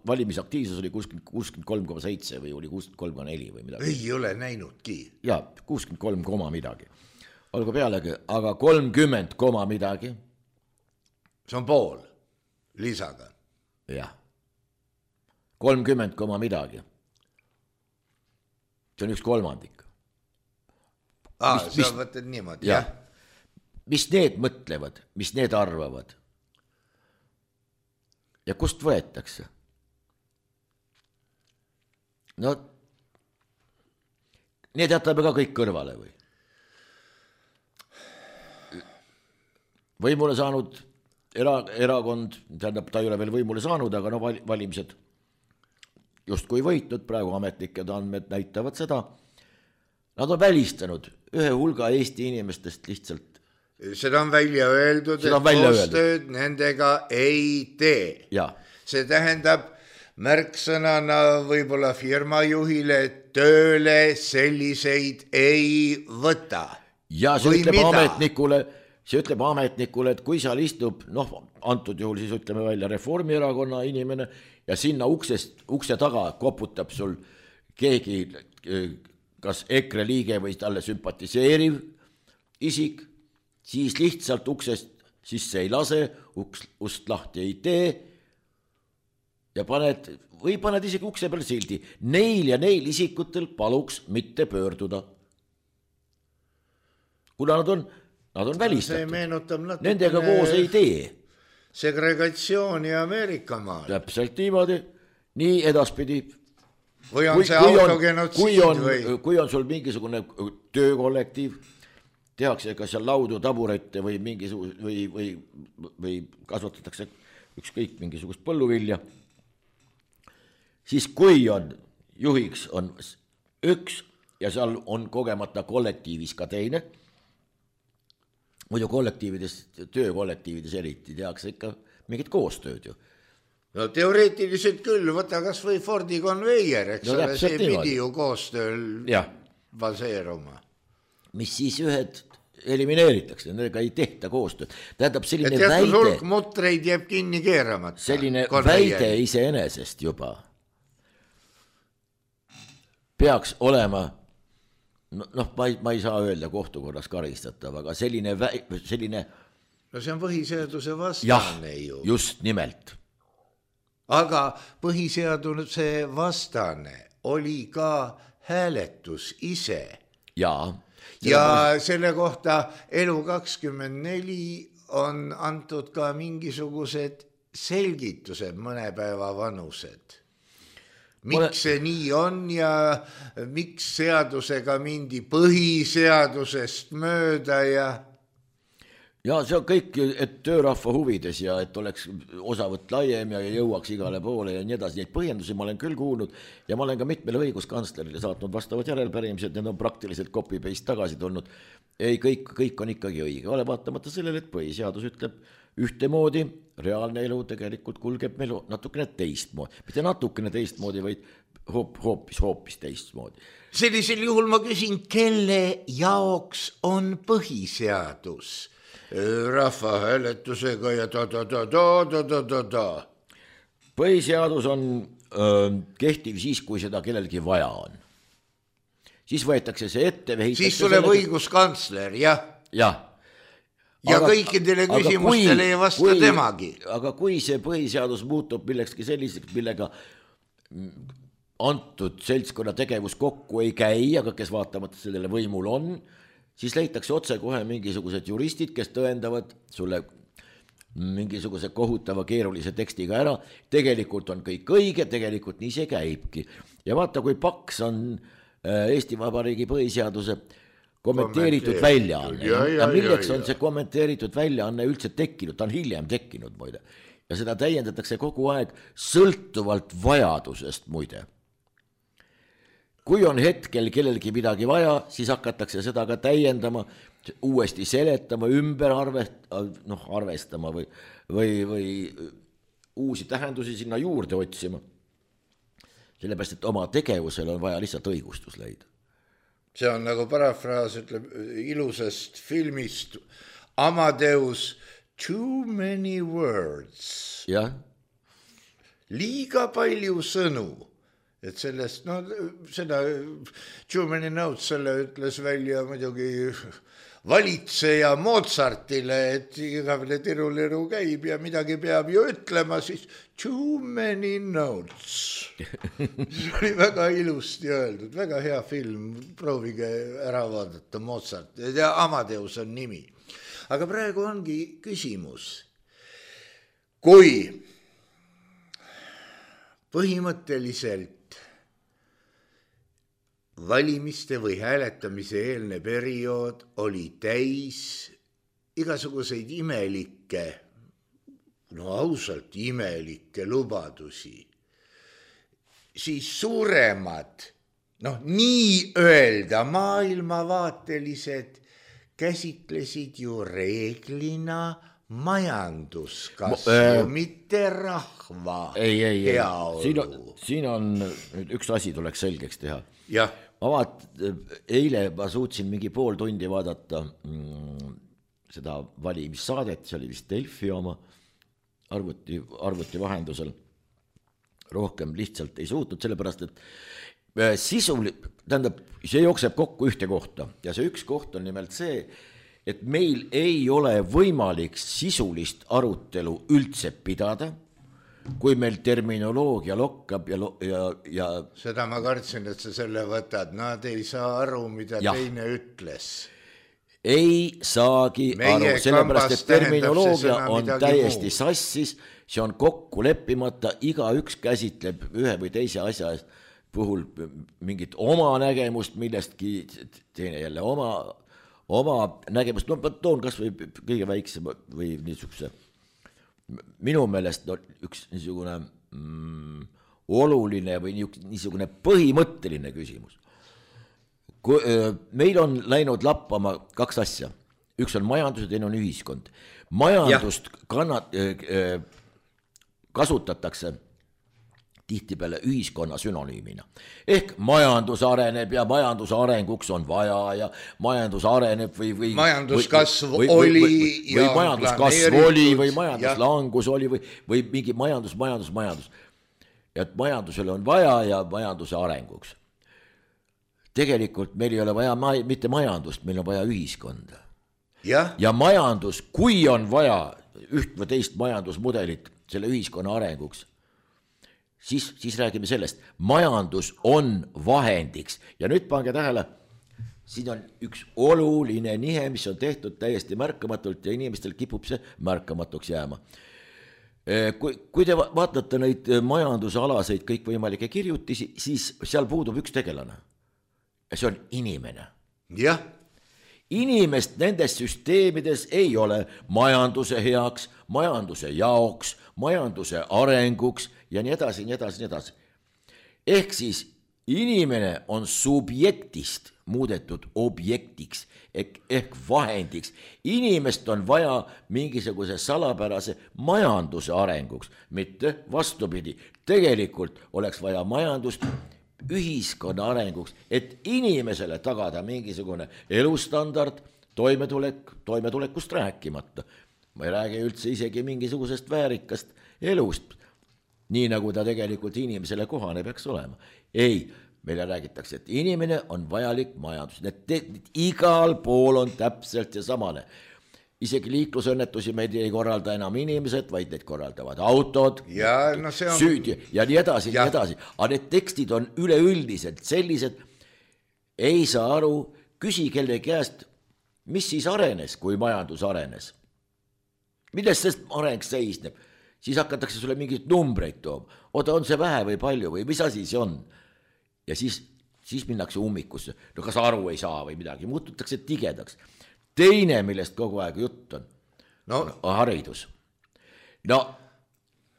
Valimisaktiivsus oli kuuskümmend kolm koma seitse või oli kuuskümmend kolm koma neli või midagi. Ei ole näinudki. Ja, kuuskümmend kolm koma midagi. Olgu pealegi, aga kolmkümmend koma midagi. See on pool lisaga. Jah. kolmkümmend koma midagi. See on üks kolmandik. Aa, mis, sa võtad niimoodi, jah. Mis need mõtlevad, mis need arvavad? Ja kust võetakse? No, need jätame ka kõik kõrvale või? Võimule saanud era, erakond, tähendab, ta ei ole veel võimule saanud, aga no valimised just kui võitnud, praegu ametlikud andmed näitavad seda, nad on välistanud ühe hulga Eesti inimestest lihtsalt. Seda on välja öeldud, seda et koostööd nendega ei tee. Ja. See tähendab märksõnana võib-olla firmajuhile tööle selliseid ei võta. Ja see ütleb ametnikule, see ütleb ametnikule, et kui seal istub, noh, antud juhul siis ütleme välja Reformierakonna inimene, ja sinna uksest, ukse taga koputab sul keegi, kas EKRE liige või talle sümpatiseeriv isik, siis lihtsalt uksest sisse ei lase, uks, ust lahti ei tee ja paned, või paned isegi ukse peal sildi. Neil ja neil isikutel paluks mitte pöörduda. Kuna nad on, nad on välistatud. Nendega koos ei tee. Segregatsiooni Ameerika maal. Täpselt niimoodi, nii edaspidi. Või on kui, see autogenotsiid või? Kui on sul mingisugune töökollektiiv, tehakse kas seal laudu, taburette või, mingisugust, või, või, või kasvatatakse ükskõik mingisugust põlluvilja, siis kui on juhiks on üks ja seal on kogemata kollektiivis ka teine, muidu kollektiivides, töökollektiivides eriti tehakse ikka mingit koostööd ju. No teoreetiliselt küll, võta kas või Fordi konveier, eks no, ole, see pidi ju koostööl ja. Baseeruma. Mis siis ühed elimineeritakse, nendega ei tehta koostööd. Tähendab selline ja väide... hulk mutreid jääb kinni keeramata. Selline konveier. Väide iseenesest juba peaks olema noh, ma ei, ma ei saa öelda kohtukorras karistatav, aga selline, vä- selline... No see on põhiseaduse vastane jah, ju. Just nimelt. Aga põhiseaduse vastane oli ka hääletus ise. Jaa. ja selle kohta Elu kakskümmend neli on antud ka mingisugused selgitused mõne päeva vanused. Miks see nii on ja miks seadusega mindi põhiseadusest mööda ja... Ja see on kõik, et töörahva huvides ja et oleks osavõtt laiem ja jõuaks igale poole ja nii edasi. Neid põhjendusi ma olen küll kuulnud ja ma olen ka mitmele õiguskantslerile saatnud vastavad järelpärimised, need on praktiliselt copy-paste tagasi tulnud. Ei, kõik, kõik on ikkagi õige, ole vaatamata sellele, et põhiseadus ütleb ühtemoodi, reaalne elu tegelikult kulgeb meil natukene teistmoodi. Mitte natukene teistmoodi, vaid hoop, hoopis, hoopis teistmoodi. Sellisel juhul ma küsin, kelle jaoks on põhiseadus? Rahvahääletusega ja ta, ta, ta, ta, ta, ta, ta, ta. Põhiseadus on öö, kehtiv siis, kui seda kellelgi vaja on. Siis võetakse see ette. Siis tuleb õiguskantsler, jah. Jah. Ja aga, kõikidele küsimustele ei vasta kui, temagi. Aga kui see põhiseadus muutub millekski selliseks, millega antud seltskonna tegevus kokku ei käi, aga kes vaatamata sellele võimul on, siis leitakse otse kohe mingisugused juristid, kes tõendavad sulle mingisuguse kohutava keerulise tekstiga ära. Tegelikult on kõik õige, tegelikult nii see käibki. Ja vaata, kui paks on Eesti Vabariigi põhiseaduse kommenteeritud väljaanne. Ja, ja, ja milleks ja, ja. on see kommenteeritud väljaanne üldse tekkinud? Ta on hiljem tekkinud, muide. Ja seda täiendatakse kogu aeg sõltuvalt vajadusest, muide. Kui on hetkel kellelgi midagi vaja, siis hakatakse seda ka täiendama, uuesti seletama, ümber arvest, noh, arvestama või, või, või uusi tähendusi sinna juurde otsima. Sellepärast, et oma tegevusel on vaja lihtsalt õigustus leida. See on nagu parafraas, ütleb ilusast filmist Amadeus, too many words. Ja. Liiga palju sõnu. Et sellest, no seda too many notes, selle ütles välja muidugi valitseja Mozartile, et igavene tiruliru käib ja midagi peab ju ütlema, siis too many notes. See oli väga ilusti öeldud, väga hea film, proovige ära vaadata Mozart, ja Amadeus on nimi. Aga praegu ongi küsimus, kui põhimõtteliselt valimiste või hääletamise eelne periood oli täis igasuguseid imelikke, no ausalt imelikke lubadusi, siis suuremad, noh nii öelda maailmavaatelised käsitlesid ju reeglina majanduskasvu, äh, mitte rahva ei, ei, heaolu. Siin on, siin on üks asi tuleks selgeks teha. Jah. Ma vaat, eile ma suutsin mingi pool tundi vaadata mm, seda valimissaadet, see oli vist Delfi oma arvuti, arvuti vahendusel. Rohkem lihtsalt ei suutnud, sellepärast, et sisul, tähendab, see jookseb kokku ühte kohta ja see üks koht on nimelt see, et meil ei ole võimalik sisulist arutelu üldse pidada, kui meil terminoloogia lokkab ja, ja, ja... Seda ma kartsin, et sa selle võtad, nad ei saa aru, mida ja. Teine ütles. Ei saagi meie aru, sellepärast, et terminoloogia on täiesti muu. Sassis, see on kokku leppimata, iga üks käsitleb ühe või teise asja puhul mingit oma nägemust, millestki teine jälle oma, oma nägemust, no ma toon kas või kõige väiksema või niisuguse minu meelest no, üks niisugune mm, oluline või niisugune põhimõtteline küsimus. Kui, meil on läinud lappama kaks asja. Üks on majandus ja teine on ühiskond. Majandust kannat, kasutatakse tihtipeale ühiskonna synonüümina. Ehk majandus areneb ja majanduse arenguks on vaja ja majandus areneb või... või majanduskasv või, oli või, või, või, või majanduskasv oli või majanduslangus oli või, või mingi majandus, majandus, majandus. Ja et majandusele on vaja ja majanduse arenguks. Tegelikult meil ei ole vaja ma, mitte majandust, meil on vaja ühiskonda. Ja? ja majandus, kui on vaja üht või teist majandusmudelit selle ühiskonna arenguks, Siis, siis räägime sellest, majandus on vahendiks ja nüüd pange tähele, siin on üks oluline nihe, mis on tehtud täiesti märkamatult ja inimestel kipub see märkamatuks jääma. Kui, kui te vaatate neid majandusalaseid kõikvõimalikke kirjutisi, siis seal puudub üks tegelane. Ja see on inimene. Jah. Inimest nendes süsteemides ei ole majanduse heaks, majanduse jaoks, majanduse arenguks ja nii edasi, nii edasi, nii edasi. Ehk siis inimene on subjektist muudetud objektiks ehk, ehk vahendiks. Inimest on vaja mingisuguse salapärase majanduse arenguks, mitte vastupidi. Tegelikult oleks vaja majandust ühiskonna arenguks, et inimesele tagada mingisugune elustandard, toimetulek, toimetulekust rääkimata. Ma ei räägi üldse isegi mingisugusest väärikast elust, nii nagu ta tegelikult inimesele kohane peaks olema. Ei, meile räägitakse, et inimene on vajalik majandus. Need te, igal pool on täpselt see samane. Isegi liiklusõnnetusi meid ei korralda enam inimesed, vaid need korraldavad autod, ja, no see on... süüdi ja nii edasi, ja. nii edasi. Aga need tekstid on üleüldiselt sellised, ei saa aru, küsi kelle käest, mis siis arenes, kui majandus arenes. Millest sest areng seisneb? Siis hakatakse sulle mingit numbreid tooma. Oota, on see vähe või palju või mis asi see on? Ja siis, siis minnakse ummikusse. No kas aru ei saa või midagi, muututakse tigedaks. Teine, millest kogu aeg jutt on, no. on haridus. No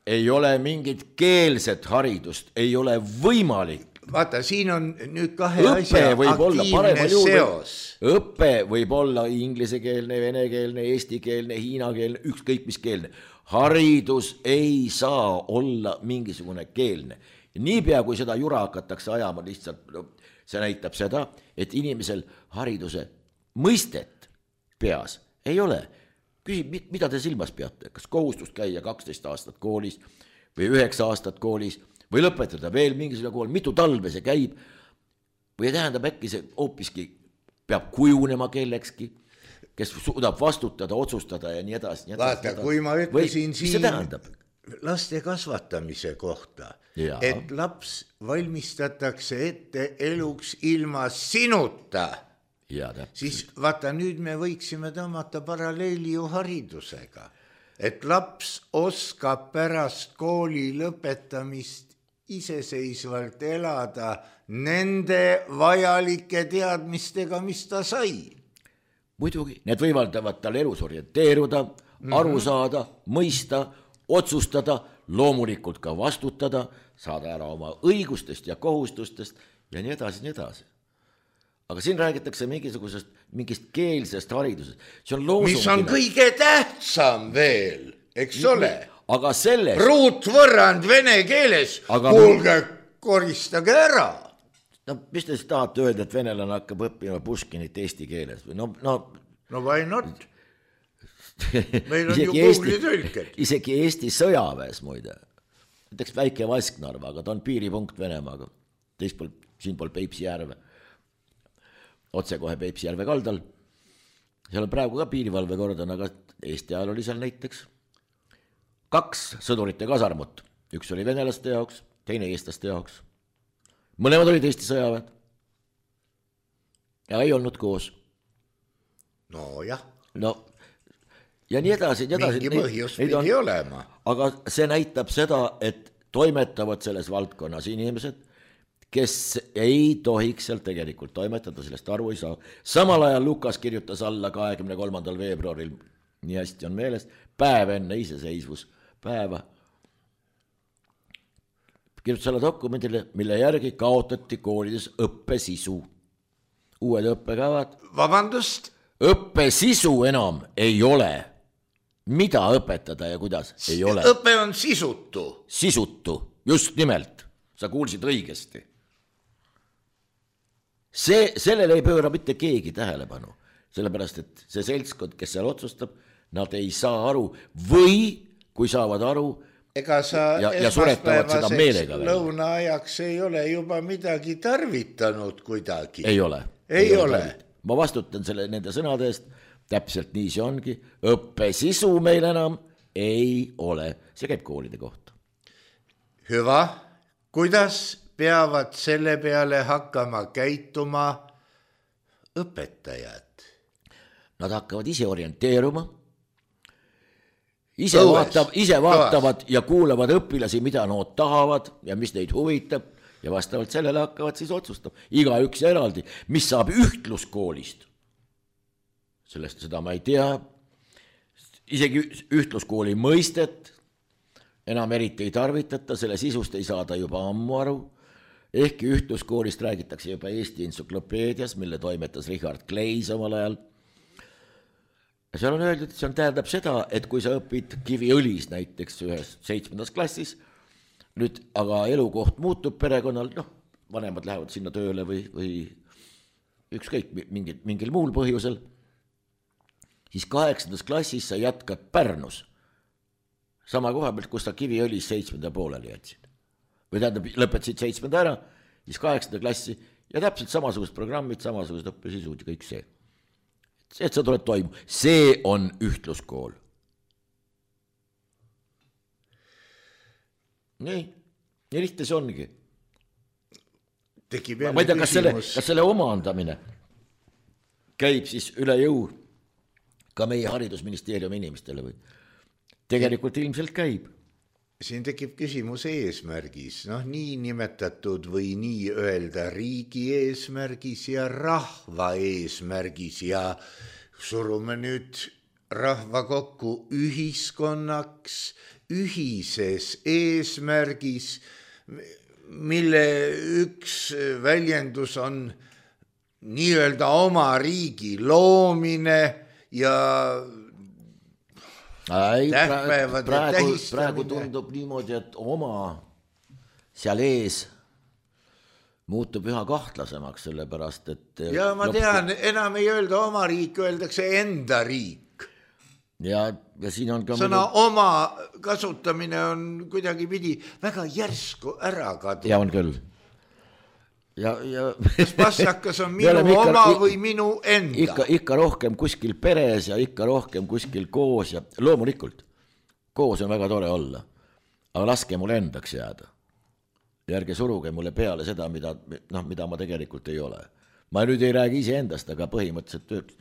ei ole mingit keelset haridust, ei ole võimalik. Vaata, siin on nüüd kahe õppe asja aktiivne seos. Õppe võib olla inglisekeelne, venekeelne, eestikeelne, hiinakeelne, ükskõik mis keelne. Haridus ei saa olla mingisugune keelne. Niipea, kui seda jura hakatakse ajama, lihtsalt no, see näitab seda, et inimesel hariduse mõistet peas ei ole. Küsib, mida te silmas peate? Kas kohustust käia kaksteist aastat koolis või üheksa aastat koolis või lõpetada veel mingisugune kool, mitu talve see käib või tähendab äkki see hoopiski peab kujunema kellekski, kes suudab vastutada, otsustada ja nii edasi. Nii edasi Vaata, nii edasi. kui ma ütlesin või, siin laste kasvatamise kohta, ja. et laps valmistatakse ette eluks ilma sinuta, ja, siis vaata, nüüd me võiksime tõmmata paralleeli ju haridusega, et laps oskab pärast kooli lõpetamist iseseisvalt elada nende vajalike teadmistega, mis ta sai. Muidugi, need võimaldavad tal elus orienteeruda, mm-hmm. aru saada, mõista, otsustada, loomulikult ka vastutada, saada ära oma õigustest ja kohustustest ja nii edasi, nii edasi. Aga siin räägitakse mingisugusest, mingist keelsest haridusest. See on loosungine. Mis on kõige tähtsam veel, eks Nii, ole? Aga selles... Ruutvõrrand vene keeles, aga kuulge, koristage ära. No mis te siis tahate öelda, et venelane hakkab õppima Puškinit eesti keeles? No, no... no why not? Meil on ju Google'i tõlked. Isegi Eesti sõjaväes muide. Näiteks väike Vasknarva, aga ta on piiripunkt Venemaaga. Teist pool, siin pool Peipsi järve. Otse kohe Peipsi järve kaldal. Seal on praegu ka piirivalve kordan, aga Eesti ajal oli seal näiteks kaks sõdurite kasarmut. Üks oli venelaste jaoks, teine eestlaste jaoks. Mõlemad olid Eesti sõjaväed. Ja ei olnud koos. No jah. No, ja nii edasi, nii edasi. Mingi põhjus pidi on, olema. Aga see näitab seda, et toimetavad selles valdkonnas inimesed, kes ei tohiks seal tegelikult toimetada, sellest aru ei saa. Samal ajal Lukas kirjutas alla kahekümne kolmandal veebruaril, nii hästi on meeles, päev enne iseseisvus päeva. Kirjutas alla dokumendile, mille järgi kaotati koolides õppesisu. Uued õppekavad. Vabandust? Õppesisu enam ei ole. Mida õpetada ja kuidas ei ole? Õpe on sisutu. Sisutu, just nimelt. Sa kuulsid õigesti. See, sellele ei pööra mitte keegi tähelepanu, sellepärast, et see seltskond, kes seal otsustab, nad ei saa aru või kui saavad aru ega sa ja, ja suretavad seda meelega välja. Lõunaajaks ei ole juba midagi tarvitanud kuidagi. Ei ole. Ei, ei ole. ole. Ma vastutan selle nende sõnade eest, täpselt nii see ongi. Õppesisu meil enam ei ole. See käib koolide kohta. Hüva, kuidas peavad selle peale hakkama käituma õpetajad? Nad hakkavad ise orienteeruma, ise, Õues, vaatav, ise vaatavad toas. ja kuulavad õpilasi, mida nad tahavad ja mis neid huvitab ja vastavalt sellele hakkavad siis otsustama. Iga üks eraldi, mis saab ühtluskoolist. Sellest seda ma ei tea. Isegi ühtluskooli mõistet enam eriti ei tarvitata, selle sisust ei saada juba ammu aru. Ehkki ühtluskoolist räägitakse juba Eesti entsüklopeedias, mille toimetas Richard Kleis omal ajal. Ja seal on öeldud, et see on tähendab seda, et kui sa õpid Kiviõlis näiteks ühes seitsmendas klassis, nüüd aga elukoht muutub perekonnal, noh, vanemad lähevad sinna tööle või, või ükskõik mingil, mingil muul põhjusel, siis kaheksandas klassis sa jätkad Pärnus sama koha pealt, kus sa Kiviõlis seitsmenda pooleli jätsid. Või tähendab, lõpetasid seitsmenda ära, siis kaheksanda klassi ja täpselt samasugused programmid, samasugused õppesisud ja kõik see. See, et sa tuled toimu. See on ühtluskool. Nii, nii lihtne see ongi. Tekib ma ei tea, kas selle, kas selle omandamine käib siis üle jõu ka meie haridusministeeriumi inimestele või? Tegelikult ilmselt käib. Siin tekib küsimus eesmärgis, noh, nii nimetatud või nii öelda riigi eesmärgis ja rahva eesmärgis ja surume nüüd rahva kokku ühiskonnaks, ühises eesmärgis, mille üks väljendus on nii öelda oma riigi loomine ja Ei, praegu, praegu, praegu tundub niimoodi, et oma seal ees muutub üha kahtlasemaks, sellepärast, et ja ma tean, enam ei öelda oma riik, öeldakse enda riik. Ja, ja siin on ka sõna muidu... oma kasutamine on kuidagi pidi väga järsku ära kadunud. Ja on küll. Ja, ja... Kas passakas on minu ikka, oma või minu enda? Ikka, ikka rohkem kuskil peres ja ikka rohkem kuskil koos ja loomulikult koos on väga tore olla, aga laske mulle endaks jääda. Ja ärge suruge mulle peale seda, mida, noh, mida ma tegelikult ei ole. Ma nüüd ei räägi ise endast, aga põhimõtteliselt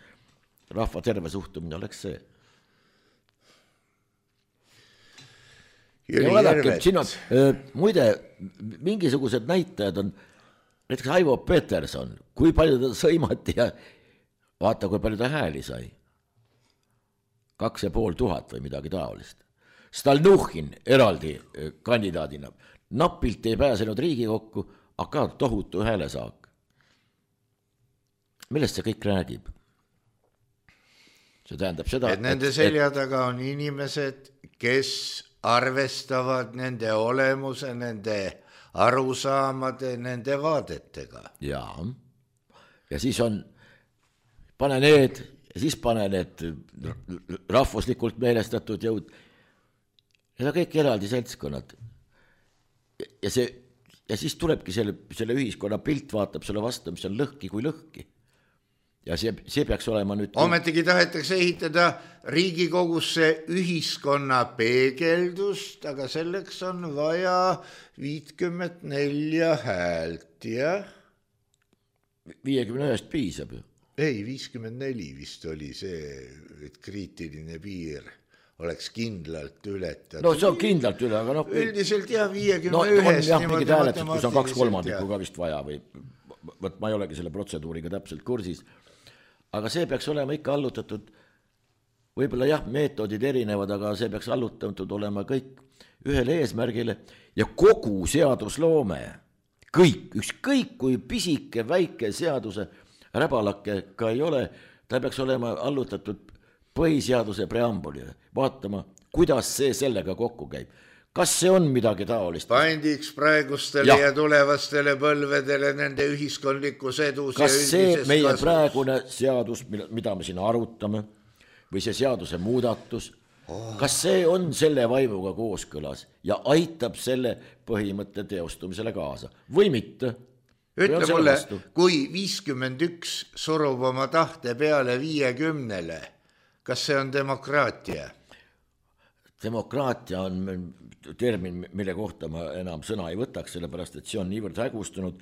rahva terve suhtumine oleks see. Ja vaadake, siin on, muide, mingisugused näitajad on näiteks Aivo Peterson, kui palju ta sõimati ja vaata, kui palju ta hääli sai. Kaks ja pool tuhat või midagi taolist. Stalnuhhin eraldi kandidaadina. Napilt ei pääsenud Riigikokku, aga tohutu häälesaak. Millest see kõik räägib? See tähendab seda, et nende et, selja taga on inimesed, kes arvestavad nende olemuse, nende arusaamade, nende vaadetega. Jaa. Ja siis on, pane need, ja siis pane need rahvuslikult meelestatud jõud. Need on kõik eraldi seltskonnad. Ja, see, ja siis tulebki selle, selle ühiskonna pilt, vaatab selle vastu, mis on lõhki kui lõhki. Ja see, see peaks olema nüüd... Ometigi tahetakse ehitada Riigikogusse ühiskonna peegeldust, aga selleks on vaja viiskümmend neli häält, jah? viiekümne ühest piisab ju. Ei, viiskümmend neli vist oli see, et kriitiline piir oleks kindlalt ületatud. No see on kindlalt üle, aga noh... Üldiselt jah, viiekümne ühest... No on jah, mingid hääletused, kus on kaks kolmandikku ka vist vaja või... Võt, ma ei olegi selle protseduuriga täpselt kursis. Aga see peaks olema ikka allutatud, võib-olla jah, meetodid erinevad, aga see peaks allutatud olema kõik ühele eesmärgile ja kogu seadusloome, kõik, ükskõik kui pisike, väike seaduse räbalake ka ei ole, ta peaks olema allutatud põhiseaduse preambulile, vaatama, kuidas see sellega kokku käib. Kas see on midagi taolist? Pandiks praegustele ja, ja tulevastele põlvedele nende ühiskondlikus edus kas ja see meie kasvus? Praegune seadus, mida me siin arutame, või see seaduse muudatus, oh. kas see on selle vaimuga kooskõlas ja aitab selle põhimõtte teostumisele kaasa või mitte? Ütle mulle, kui viiskümmend üks surub oma tahte peale viiekümnele, kas see on demokraatia? Demokraatia on termin, mille kohta ma enam sõna ei võtaks, sellepärast, et see on niivõrd hägustunud.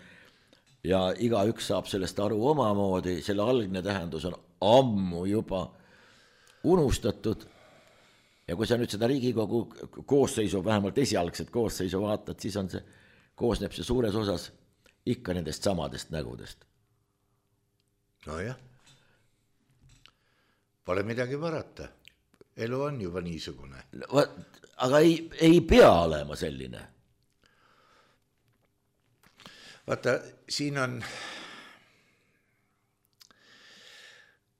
ja igaüks saab sellest aru omamoodi, selle algne tähendus on ammu juba unustatud. Ja kui sa nüüd seda Riigikogu koosseisu, vähemalt esialgset koosseisu vaatad, siis on see, koosneb see suures osas ikka nendest samadest nägudest. No jah, pole midagi parata. Elu on juba niisugune. Aga ei, ei pea olema selline. Vaata, siin on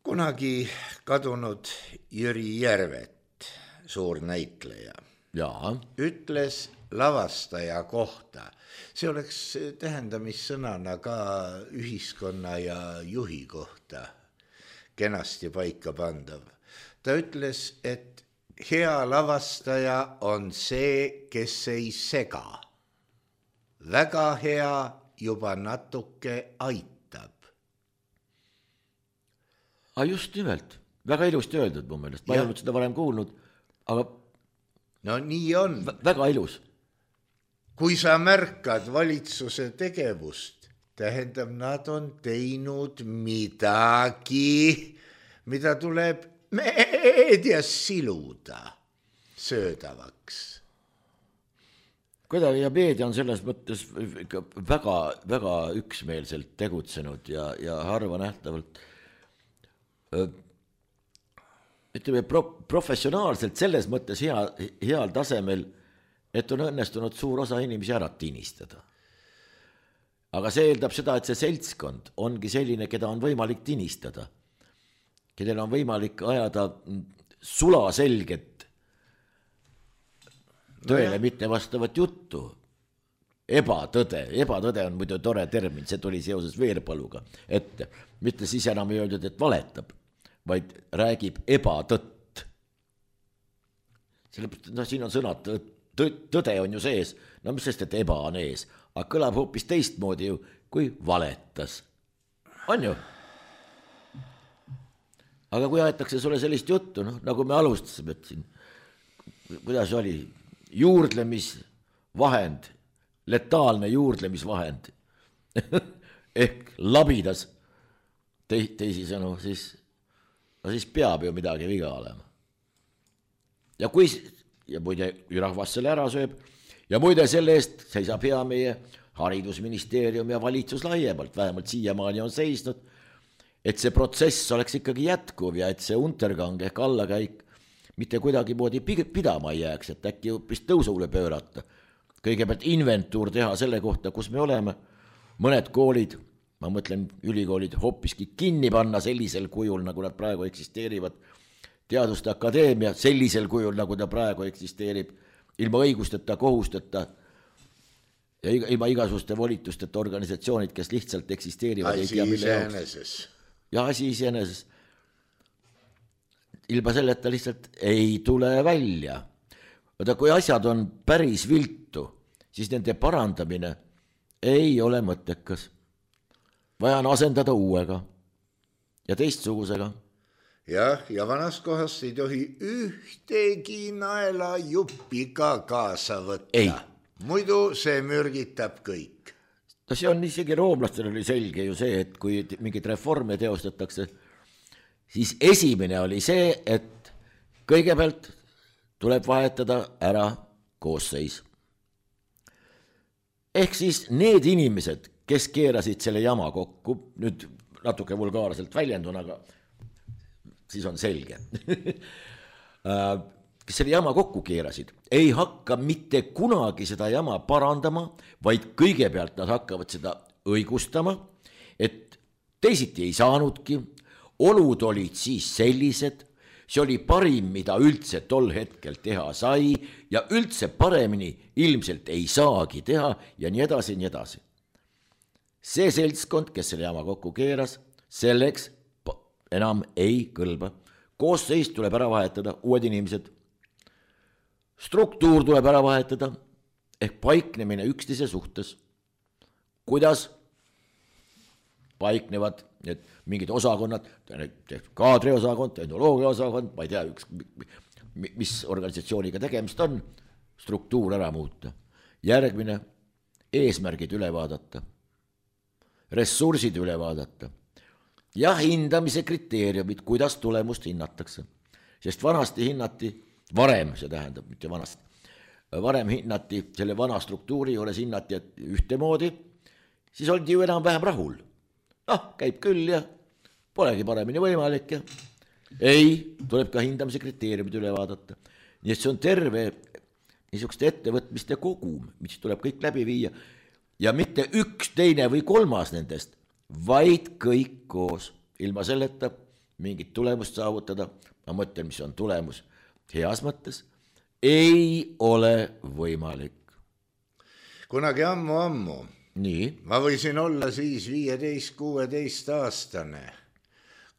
kunagi kadunud Jüri Järvet, suur näitleja. Jaa. Ütles lavastaja kohta. See oleks tähendamissõnana ka ühiskonna ja juhi kohta kenasti paika pandav. Ta ütles, et hea lavastaja on see, kes ei sega. Väga hea juba natuke aitab. Aga just nimelt, väga ilusti öeldud mu meelest, ma ei olnud seda varem kuulnud, aga no nii on. Väga ilus. Kui sa märkad valitsuse tegevust, tähendab, nad on teinud midagi, mida tuleb meedias siluda söödavaks. Kuidagi ja meedia on selles mõttes väga, väga üksmeelselt tegutsenud ja, ja harva nähtavalt ütleme pro, professionaalselt selles mõttes hea, heal tasemel, et on õnnestunud suur osa inimesi ära tinistada. Aga see eeldab seda, et see seltskond ongi selline, keda on võimalik tinistada, kellel on võimalik ajada sulaselget tõele no mitte vastavat juttu. Ebatõde, ebatõde on muidu tore termin, see tuli seoses Veerpaluga ette. Mitte siis enam ei öeldud, et valetab, vaid räägib ebatõtt. Sellepärast, no siin on sõnad, tõde on ju sees, no mis sest, et eba on ees, aga kõlab hoopis teistmoodi ju, kui valetas. On ju? Aga kui aetakse sulle sellist juttu, no, nagu me alustasime, et siin, kuidas oli, juurdlemisvahend, letaalne juurdlemisvahend, ehk labidas te, teisisõnu, siis, no siis peab ju midagi viga olema. Ja kui, ja muide, rahvas selle ära sööb, ja muide selle eest seisab hea meie haridusministeerium ja valitsus laiemalt, vähemalt siiamaani on seisnud, et see protsess oleks ikkagi jätkuv ja et see untergang ehk allakäik mitte kuidagi moodi pidama ei jääks, et äkki hoopis tõusule pöörata. Kõigepealt inventuur teha selle kohta, kus me oleme. Mõned koolid, ma mõtlen ülikoolid, hoopiski kinni panna sellisel kujul, nagu nad praegu eksisteerivad. Teaduste akadeemia sellisel kujul, nagu ta praegu eksisteerib, ilma õigusteta, kohusteta ja ilma igasuguste volitusteta organisatsioonid, kes lihtsalt eksisteerivad. Asi iseeneses. Ja asi iseeneses. Ilma selleta lihtsalt ei tule välja. Oda, kui asjad on päris viltu, siis nende parandamine ei ole mõttekas. Vaja on asendada uuega ja teistsugusega. Jah, ja vanas kohast ei tohi ühtegi naela juppi ka kaasa võtta. Ei. Muidu see mürgitab kõik. No see on isegi roomlastel oli selge ju see, et kui mingid reforme teostatakse, siis esimene oli see, et kõigepealt tuleb vahetada ära koosseis. Ehk siis need inimesed, kes keerasid selle jama kokku, nüüd natuke vulgaarselt väljendun, aga siis on selge, kes selle jama kokku keerasid, ei hakka mitte kunagi seda jama parandama, vaid kõigepealt nad hakkavad seda õigustama, et teisiti ei saanudki, olud olid siis sellised, see oli parim, mida üldse tol hetkel teha sai ja üldse paremini ilmselt ei saagi teha ja nii edasi, nii edasi. See seltskond, kes selle jama kokku keeras, selleks enam ei kõlba. Koosseis tuleb ära vahetada, uued inimesed. Struktuur tuleb ära vahetada, ehk paiknemine üksteise suhtes. Kuidas paiknevad need mingid osakonnad, kaadriosakond, tehnoloogiaosakond, ma ei tea, üks, mis organisatsiooniga tegemist on, struktuur ära muuta. Järgmine, eesmärgid üle vaadata. ressursid üle vaadata ja hindamise kriteeriumid, kuidas tulemust hinnatakse. Sest vanasti hinnati, varem see tähendab, mitte vanasti, varem hinnati, selle vana struktuuri juures hinnati, et ühtemoodi, siis oldi ju enam-vähem rahul. Noh, käib küll ja polegi paremini võimalik ja ei, tuleb ka hindamise kriteeriumid üle vaadata. Nii et see on terve niisugust ettevõtmiste kogum, mis tuleb kõik läbi viia ja mitte üks, teine või kolmas nendest, vaid kõik koos. Ilma selleta mingit tulemust saavutada, ma mõtlen, mis on tulemus heas mõttes, ei ole võimalik. Kunagi ammu-ammu Nii. ma võisin olla siis viieteist kuueteist aastane.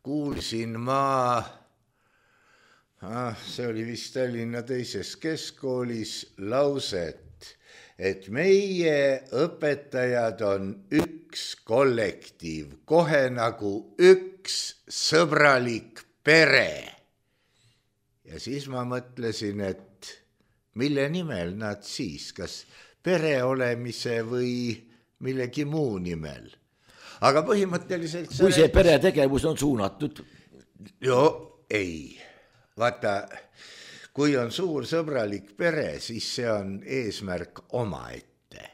Kuulsin ma, ah, see oli vist Tallinna teises keskkoolis lauset, et meie õpetajad on üks kollektiiv, kohe nagu üks sõbralik pere. Ja siis ma mõtlesin, et mille nimel nad siis, kas pere olemise või millegi muu nimel. Aga põhimõtteliselt... Kui see pere tegevus on suunatud? Jo, ei. Vaata, kui on suur sõbralik pere, siis see on eesmärk omaette.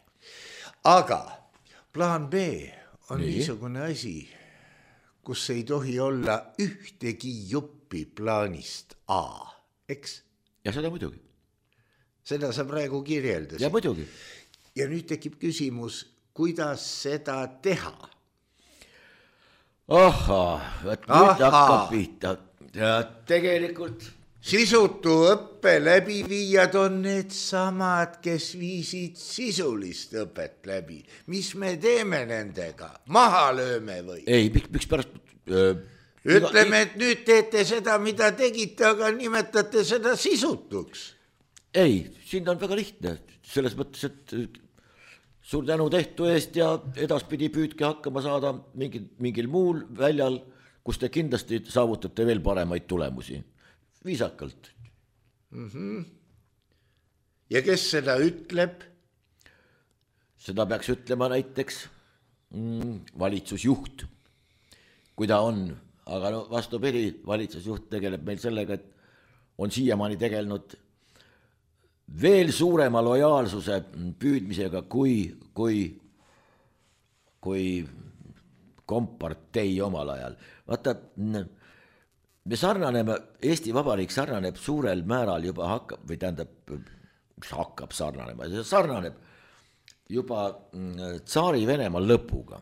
Aga plaan B on Nii. niisugune asi, kus ei tohi olla ühtegi juppi plaanist A, eks? Ja seda muidugi. Seda sa praegu kirjeldasid. Ja muidugi. Ja nüüd tekib küsimus, kuidas seda teha? Aha, et nüüd hakkab pihta. Ja tegelikult... Sisutu õppe läbiviijad on need samad, kes viisid sisulist õpet läbi. Mis me teeme nendega? Maha lööme või? Ei, miks, miks pärast... Öö, Ütleme, et nüüd teete seda, mida tegite, aga nimetate seda sisutuks. Ei, siin on väga lihtne. Selles mõttes, et suur tänu tehtu eest ja edaspidi püüdke hakkama saada mingil, mingil muul väljal, kus te kindlasti saavutate veel paremaid tulemusi. Viisakalt. Mm-hmm. Ja kes seda ütleb? Seda peaks ütlema näiteks mm, valitsusjuht, kui ta on. Aga no, vastupidi, valitsusjuht tegeleb meil sellega, et on siiamaani tegelenud veel suurema lojaalsuse püüdmisega kui, kui, kui kompartei omal ajal. Vaata, me sarnaneme, Eesti Vabariik sarnaneb suurel määral juba hakkab, või tähendab, hakkab sarnanema, see sarnaneb juba tsaari Venemaa lõpuga,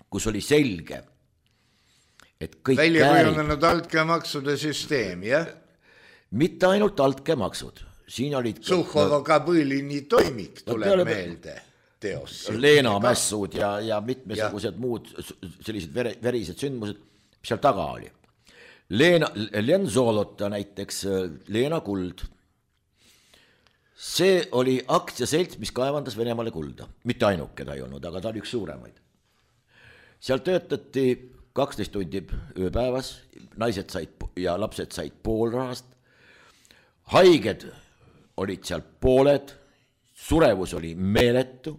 kus oli selge, et kõik välja kujundanud altkäemaksude süsteem, jah? Mitte ainult altkäemaksud. Siin olid... Suhhovo-Kabõlini toimik tuleb peale, meelde teos. Leena mässud ja, ja mitmesugused ja. muud sellised vere, verised sündmused, mis seal taga oli. Leena, Len Zolota näiteks, Leena Kuld. See oli aktsiaselts, mis kaevandas Venemaale kulda. Mitte ainuke ta ei olnud, aga ta oli üks suuremaid. Seal töötati kaksteist tundi ööpäevas, naised said ja lapsed said pool rahast. Haiged olid seal pooled, surevus oli meeletu,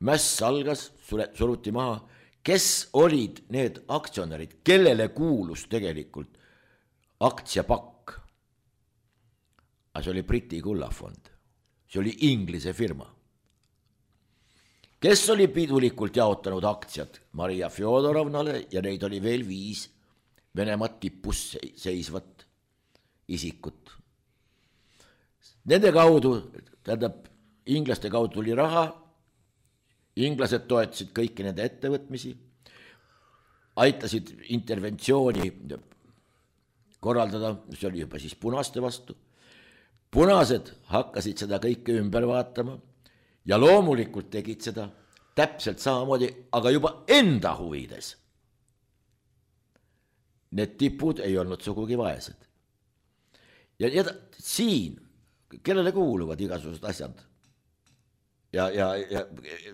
mäss algas, suruti maha. Kes olid need aktsionärid, kellele kuulus tegelikult aktsiapakk? See oli Briti kullafond, see oli Inglise firma. Kes oli pidulikult jaotanud aktsiad Maria Fjodorovnale ja neid oli veel viis Venemaa tipus seisvat isikut. Nende kaudu, tähendab, inglaste kaudu tuli raha, inglased toetasid kõiki nende ettevõtmisi, aitasid interventsiooni korraldada, see oli juba siis punaste vastu. Punased hakkasid seda kõike ümber vaatama ja loomulikult tegid seda täpselt samamoodi, aga juba enda huvides. Need tipud ei olnud sugugi vaesed. Ja, ja siin, kellele kuuluvad igasugused asjad ja, ja, ja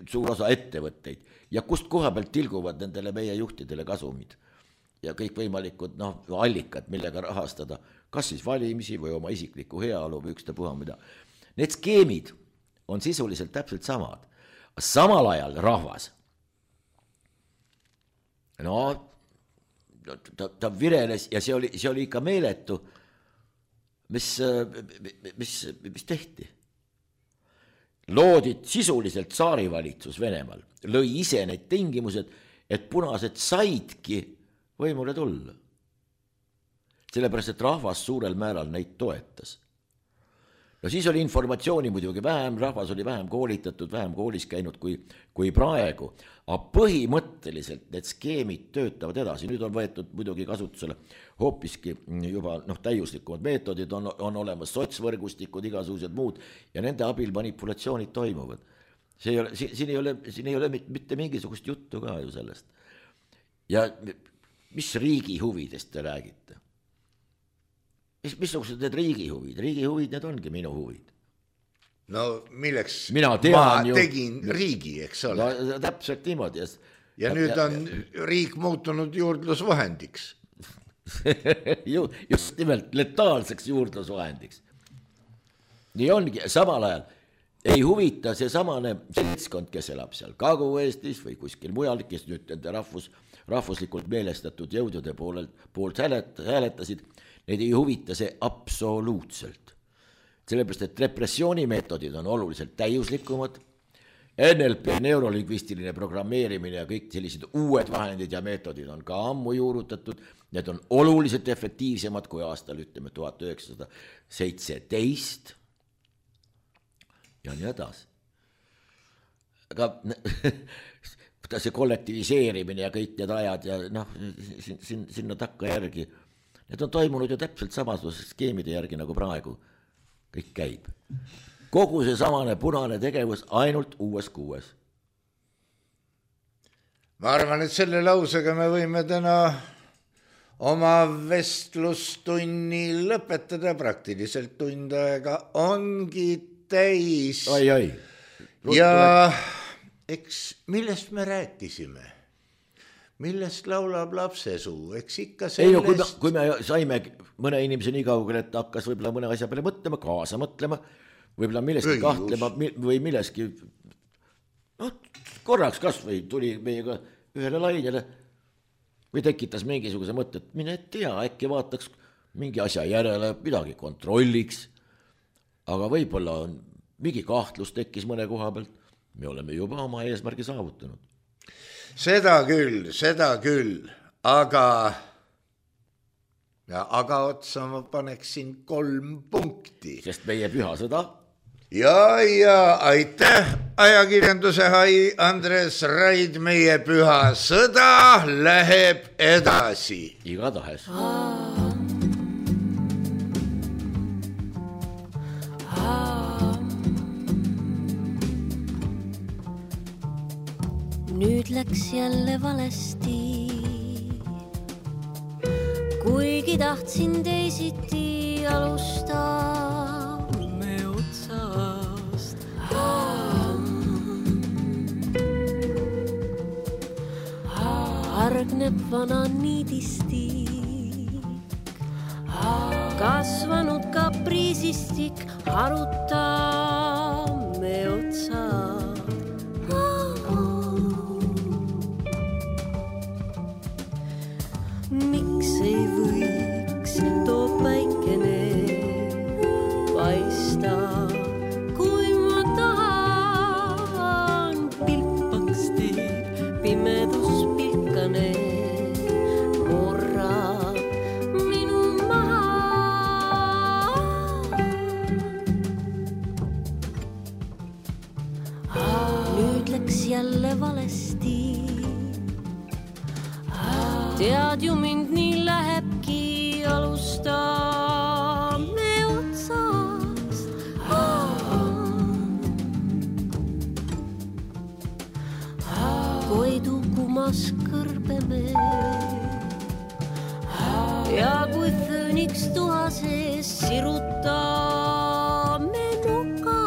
suur osa ettevõtteid ja kust koha pealt tilguvad nendele meie juhtidele kasumid ja kõik võimalikud no, allikad, millega rahastada, kas siis valimisi või oma isikliku heaolu või üksta puha mida. Need skeemid on sisuliselt täpselt samad. Samal ajal rahvas no ta, ta vireles ja see oli, see oli ikka meeletu, mis, mis, mis tehti. Loodi sisuliselt saarivalitsus Venemaal, lõi ise need tingimused, et punased saidki võimule tulla. Sellepärast, et rahvas suurel määral neid toetas. No siis oli informatsiooni muidugi vähem, rahvas oli vähem koolitatud, vähem koolis käinud kui, kui praegu, aga põhimõtteliselt need skeemid töötavad edasi. Nüüd on võetud muidugi kasutusele hoopiski juba noh, täiuslikumad meetodid, on, on olemas sotsvõrgustikud, igasugused muud ja nende abil manipulatsioonid toimuvad. See ei ole, siin, ei ole, siin ei ole mitte mingisugust juttu ka ju sellest. Ja mis riigi huvidest te räägite? Mis, missugused need riigi huvid? Riigi huvid, need ongi minu huvid. No milleks Mina tean ma ju, tegin riigi, eks ole. No, täpselt niimoodi. Ja, ja nüüd on ja, riik muutunud juurdlusvahendiks. Just nimelt letaalseks juurdlusvahendiks. Nii ongi, samal ajal ei huvita see samane seltskond, kes elab seal Kagu-Eestis või kuskil mujal, kes nüüd nende rahvus, rahvuslikult meelestatud jõudude poolelt, poolt hääletasid, neid ei huvita see absoluutselt. Sellepärast, et repressioonimeetodid on oluliselt täiuslikumad, N L P, neurolingvistiline programmeerimine ja kõik sellised uued vahendid ja meetodid on ka ammu juurutatud, need on oluliselt efektiivsemad kui aastal, ütleme, tuhat üheksasada seitseteist ja nii edasi. Aga see kollektiviseerimine ja kõik need ajad ja noh, sinna takka järgi, need on toimunud ju täpselt samasuguse skeemide järgi nagu praegu. Kõik käib. Kogu see samane punane tegevus ainult uues kuues. Ma arvan, et selle lausega me võime täna oma vestlustunni lõpetada. Praktiliselt tund aega ongi täis. Oi, oi. Ja eks millest me rääkisime? Millest laulab lapsesuu? Eks ikka sellest... Ei, no, kui, me, kui me saime mõne inimese nii kaugel, et hakkas võib-olla mõne asja peale mõtlema, kaasa mõtlema, võib-olla milleski Õigus. kahtlema või milleski, no, korraks kas või tuli meiega ühele lainele või tekitas mingisuguse mõtte, et mine tea, äkki vaataks mingi asja järele, midagi kontrolliks, aga võib-olla on mingi kahtlus tekkis mõne koha pealt, me oleme juba oma eesmärgi saavutanud. Seda küll, seda küll, aga, ja, aga otsa ma paneksin kolm punkti. Sest meie pühasõda. Ja, ja aitäh, ajakirjanduse hai Andres Raid, meie pühasõda läheb edasi. Igatahes. Nüüd läks jälle valesti, kuigi tahtsin teisiti alustaa me otsast. Hargneb vana niidistik, kasvanud kapriisistik, harutaa me otsast. Miks ei võiks too päikene paista, kui ma tahan, pilpaks teeb pimedus pilkane, morra minu maha. Nüüd läks jälle valesti. Tead ju mind nii lähebki alustaa me otsast. Koidu kumas kõrbeme ja kui fööniks tuha sees sirutaa me nuka.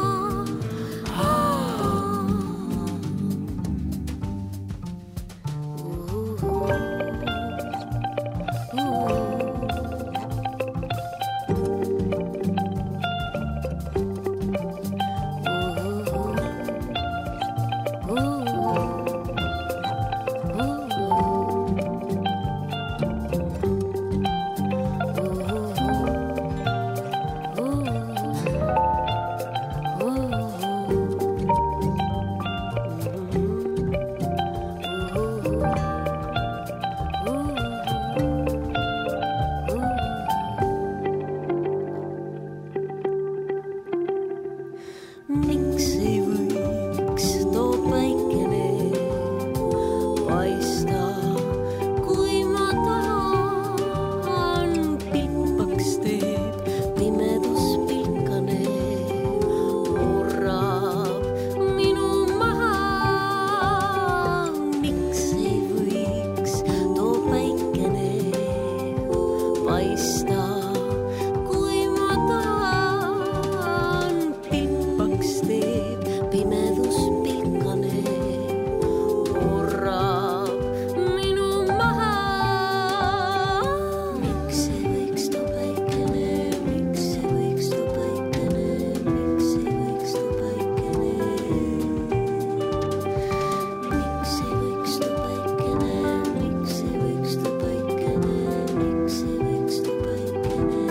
helista, kui ma tahan, pilpaks teeb pimedus pilkane, murrab minu maha. Miks ei võiks tu päikene, miks ei võiks tu päikene, miks ei võiks tu päikene, miks ei võiks tu päikene, miks ei võiks tu päikene, miks ei võiks tu päikene,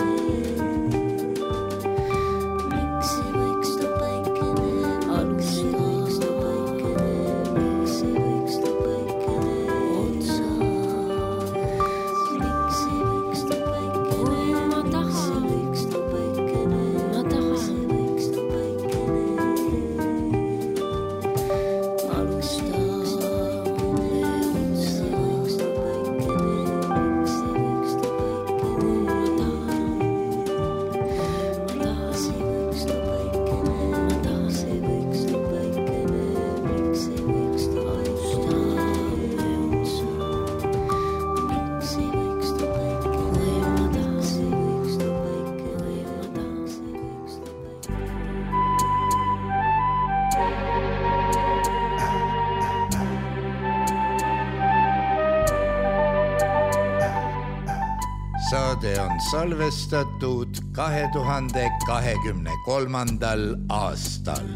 miks ei võiks tu päikene, alus ei võiks tu päikene, miks ei võiks tu päikene, otsa, miks ei võiks tu päikene, ma tahan, miks ei võiks tu päikene, ma tahan, miks ei võiks tu päikene, alusta, otsa, miks tu päikene, miks ei võiks tu päikene, ma tahan, ma tahan, ei võiks tu päikene, ma tahan, ei võiks tu päikene, miks ei võiks tu alusta, otsa, miks ei võiks tu päikene, kui ma tahan, ei võiks tu päikene, kui ma tahan, ei võiks tu päikene. Saade on salvestatud kahe tuhande kahekümne kolmandal aastal.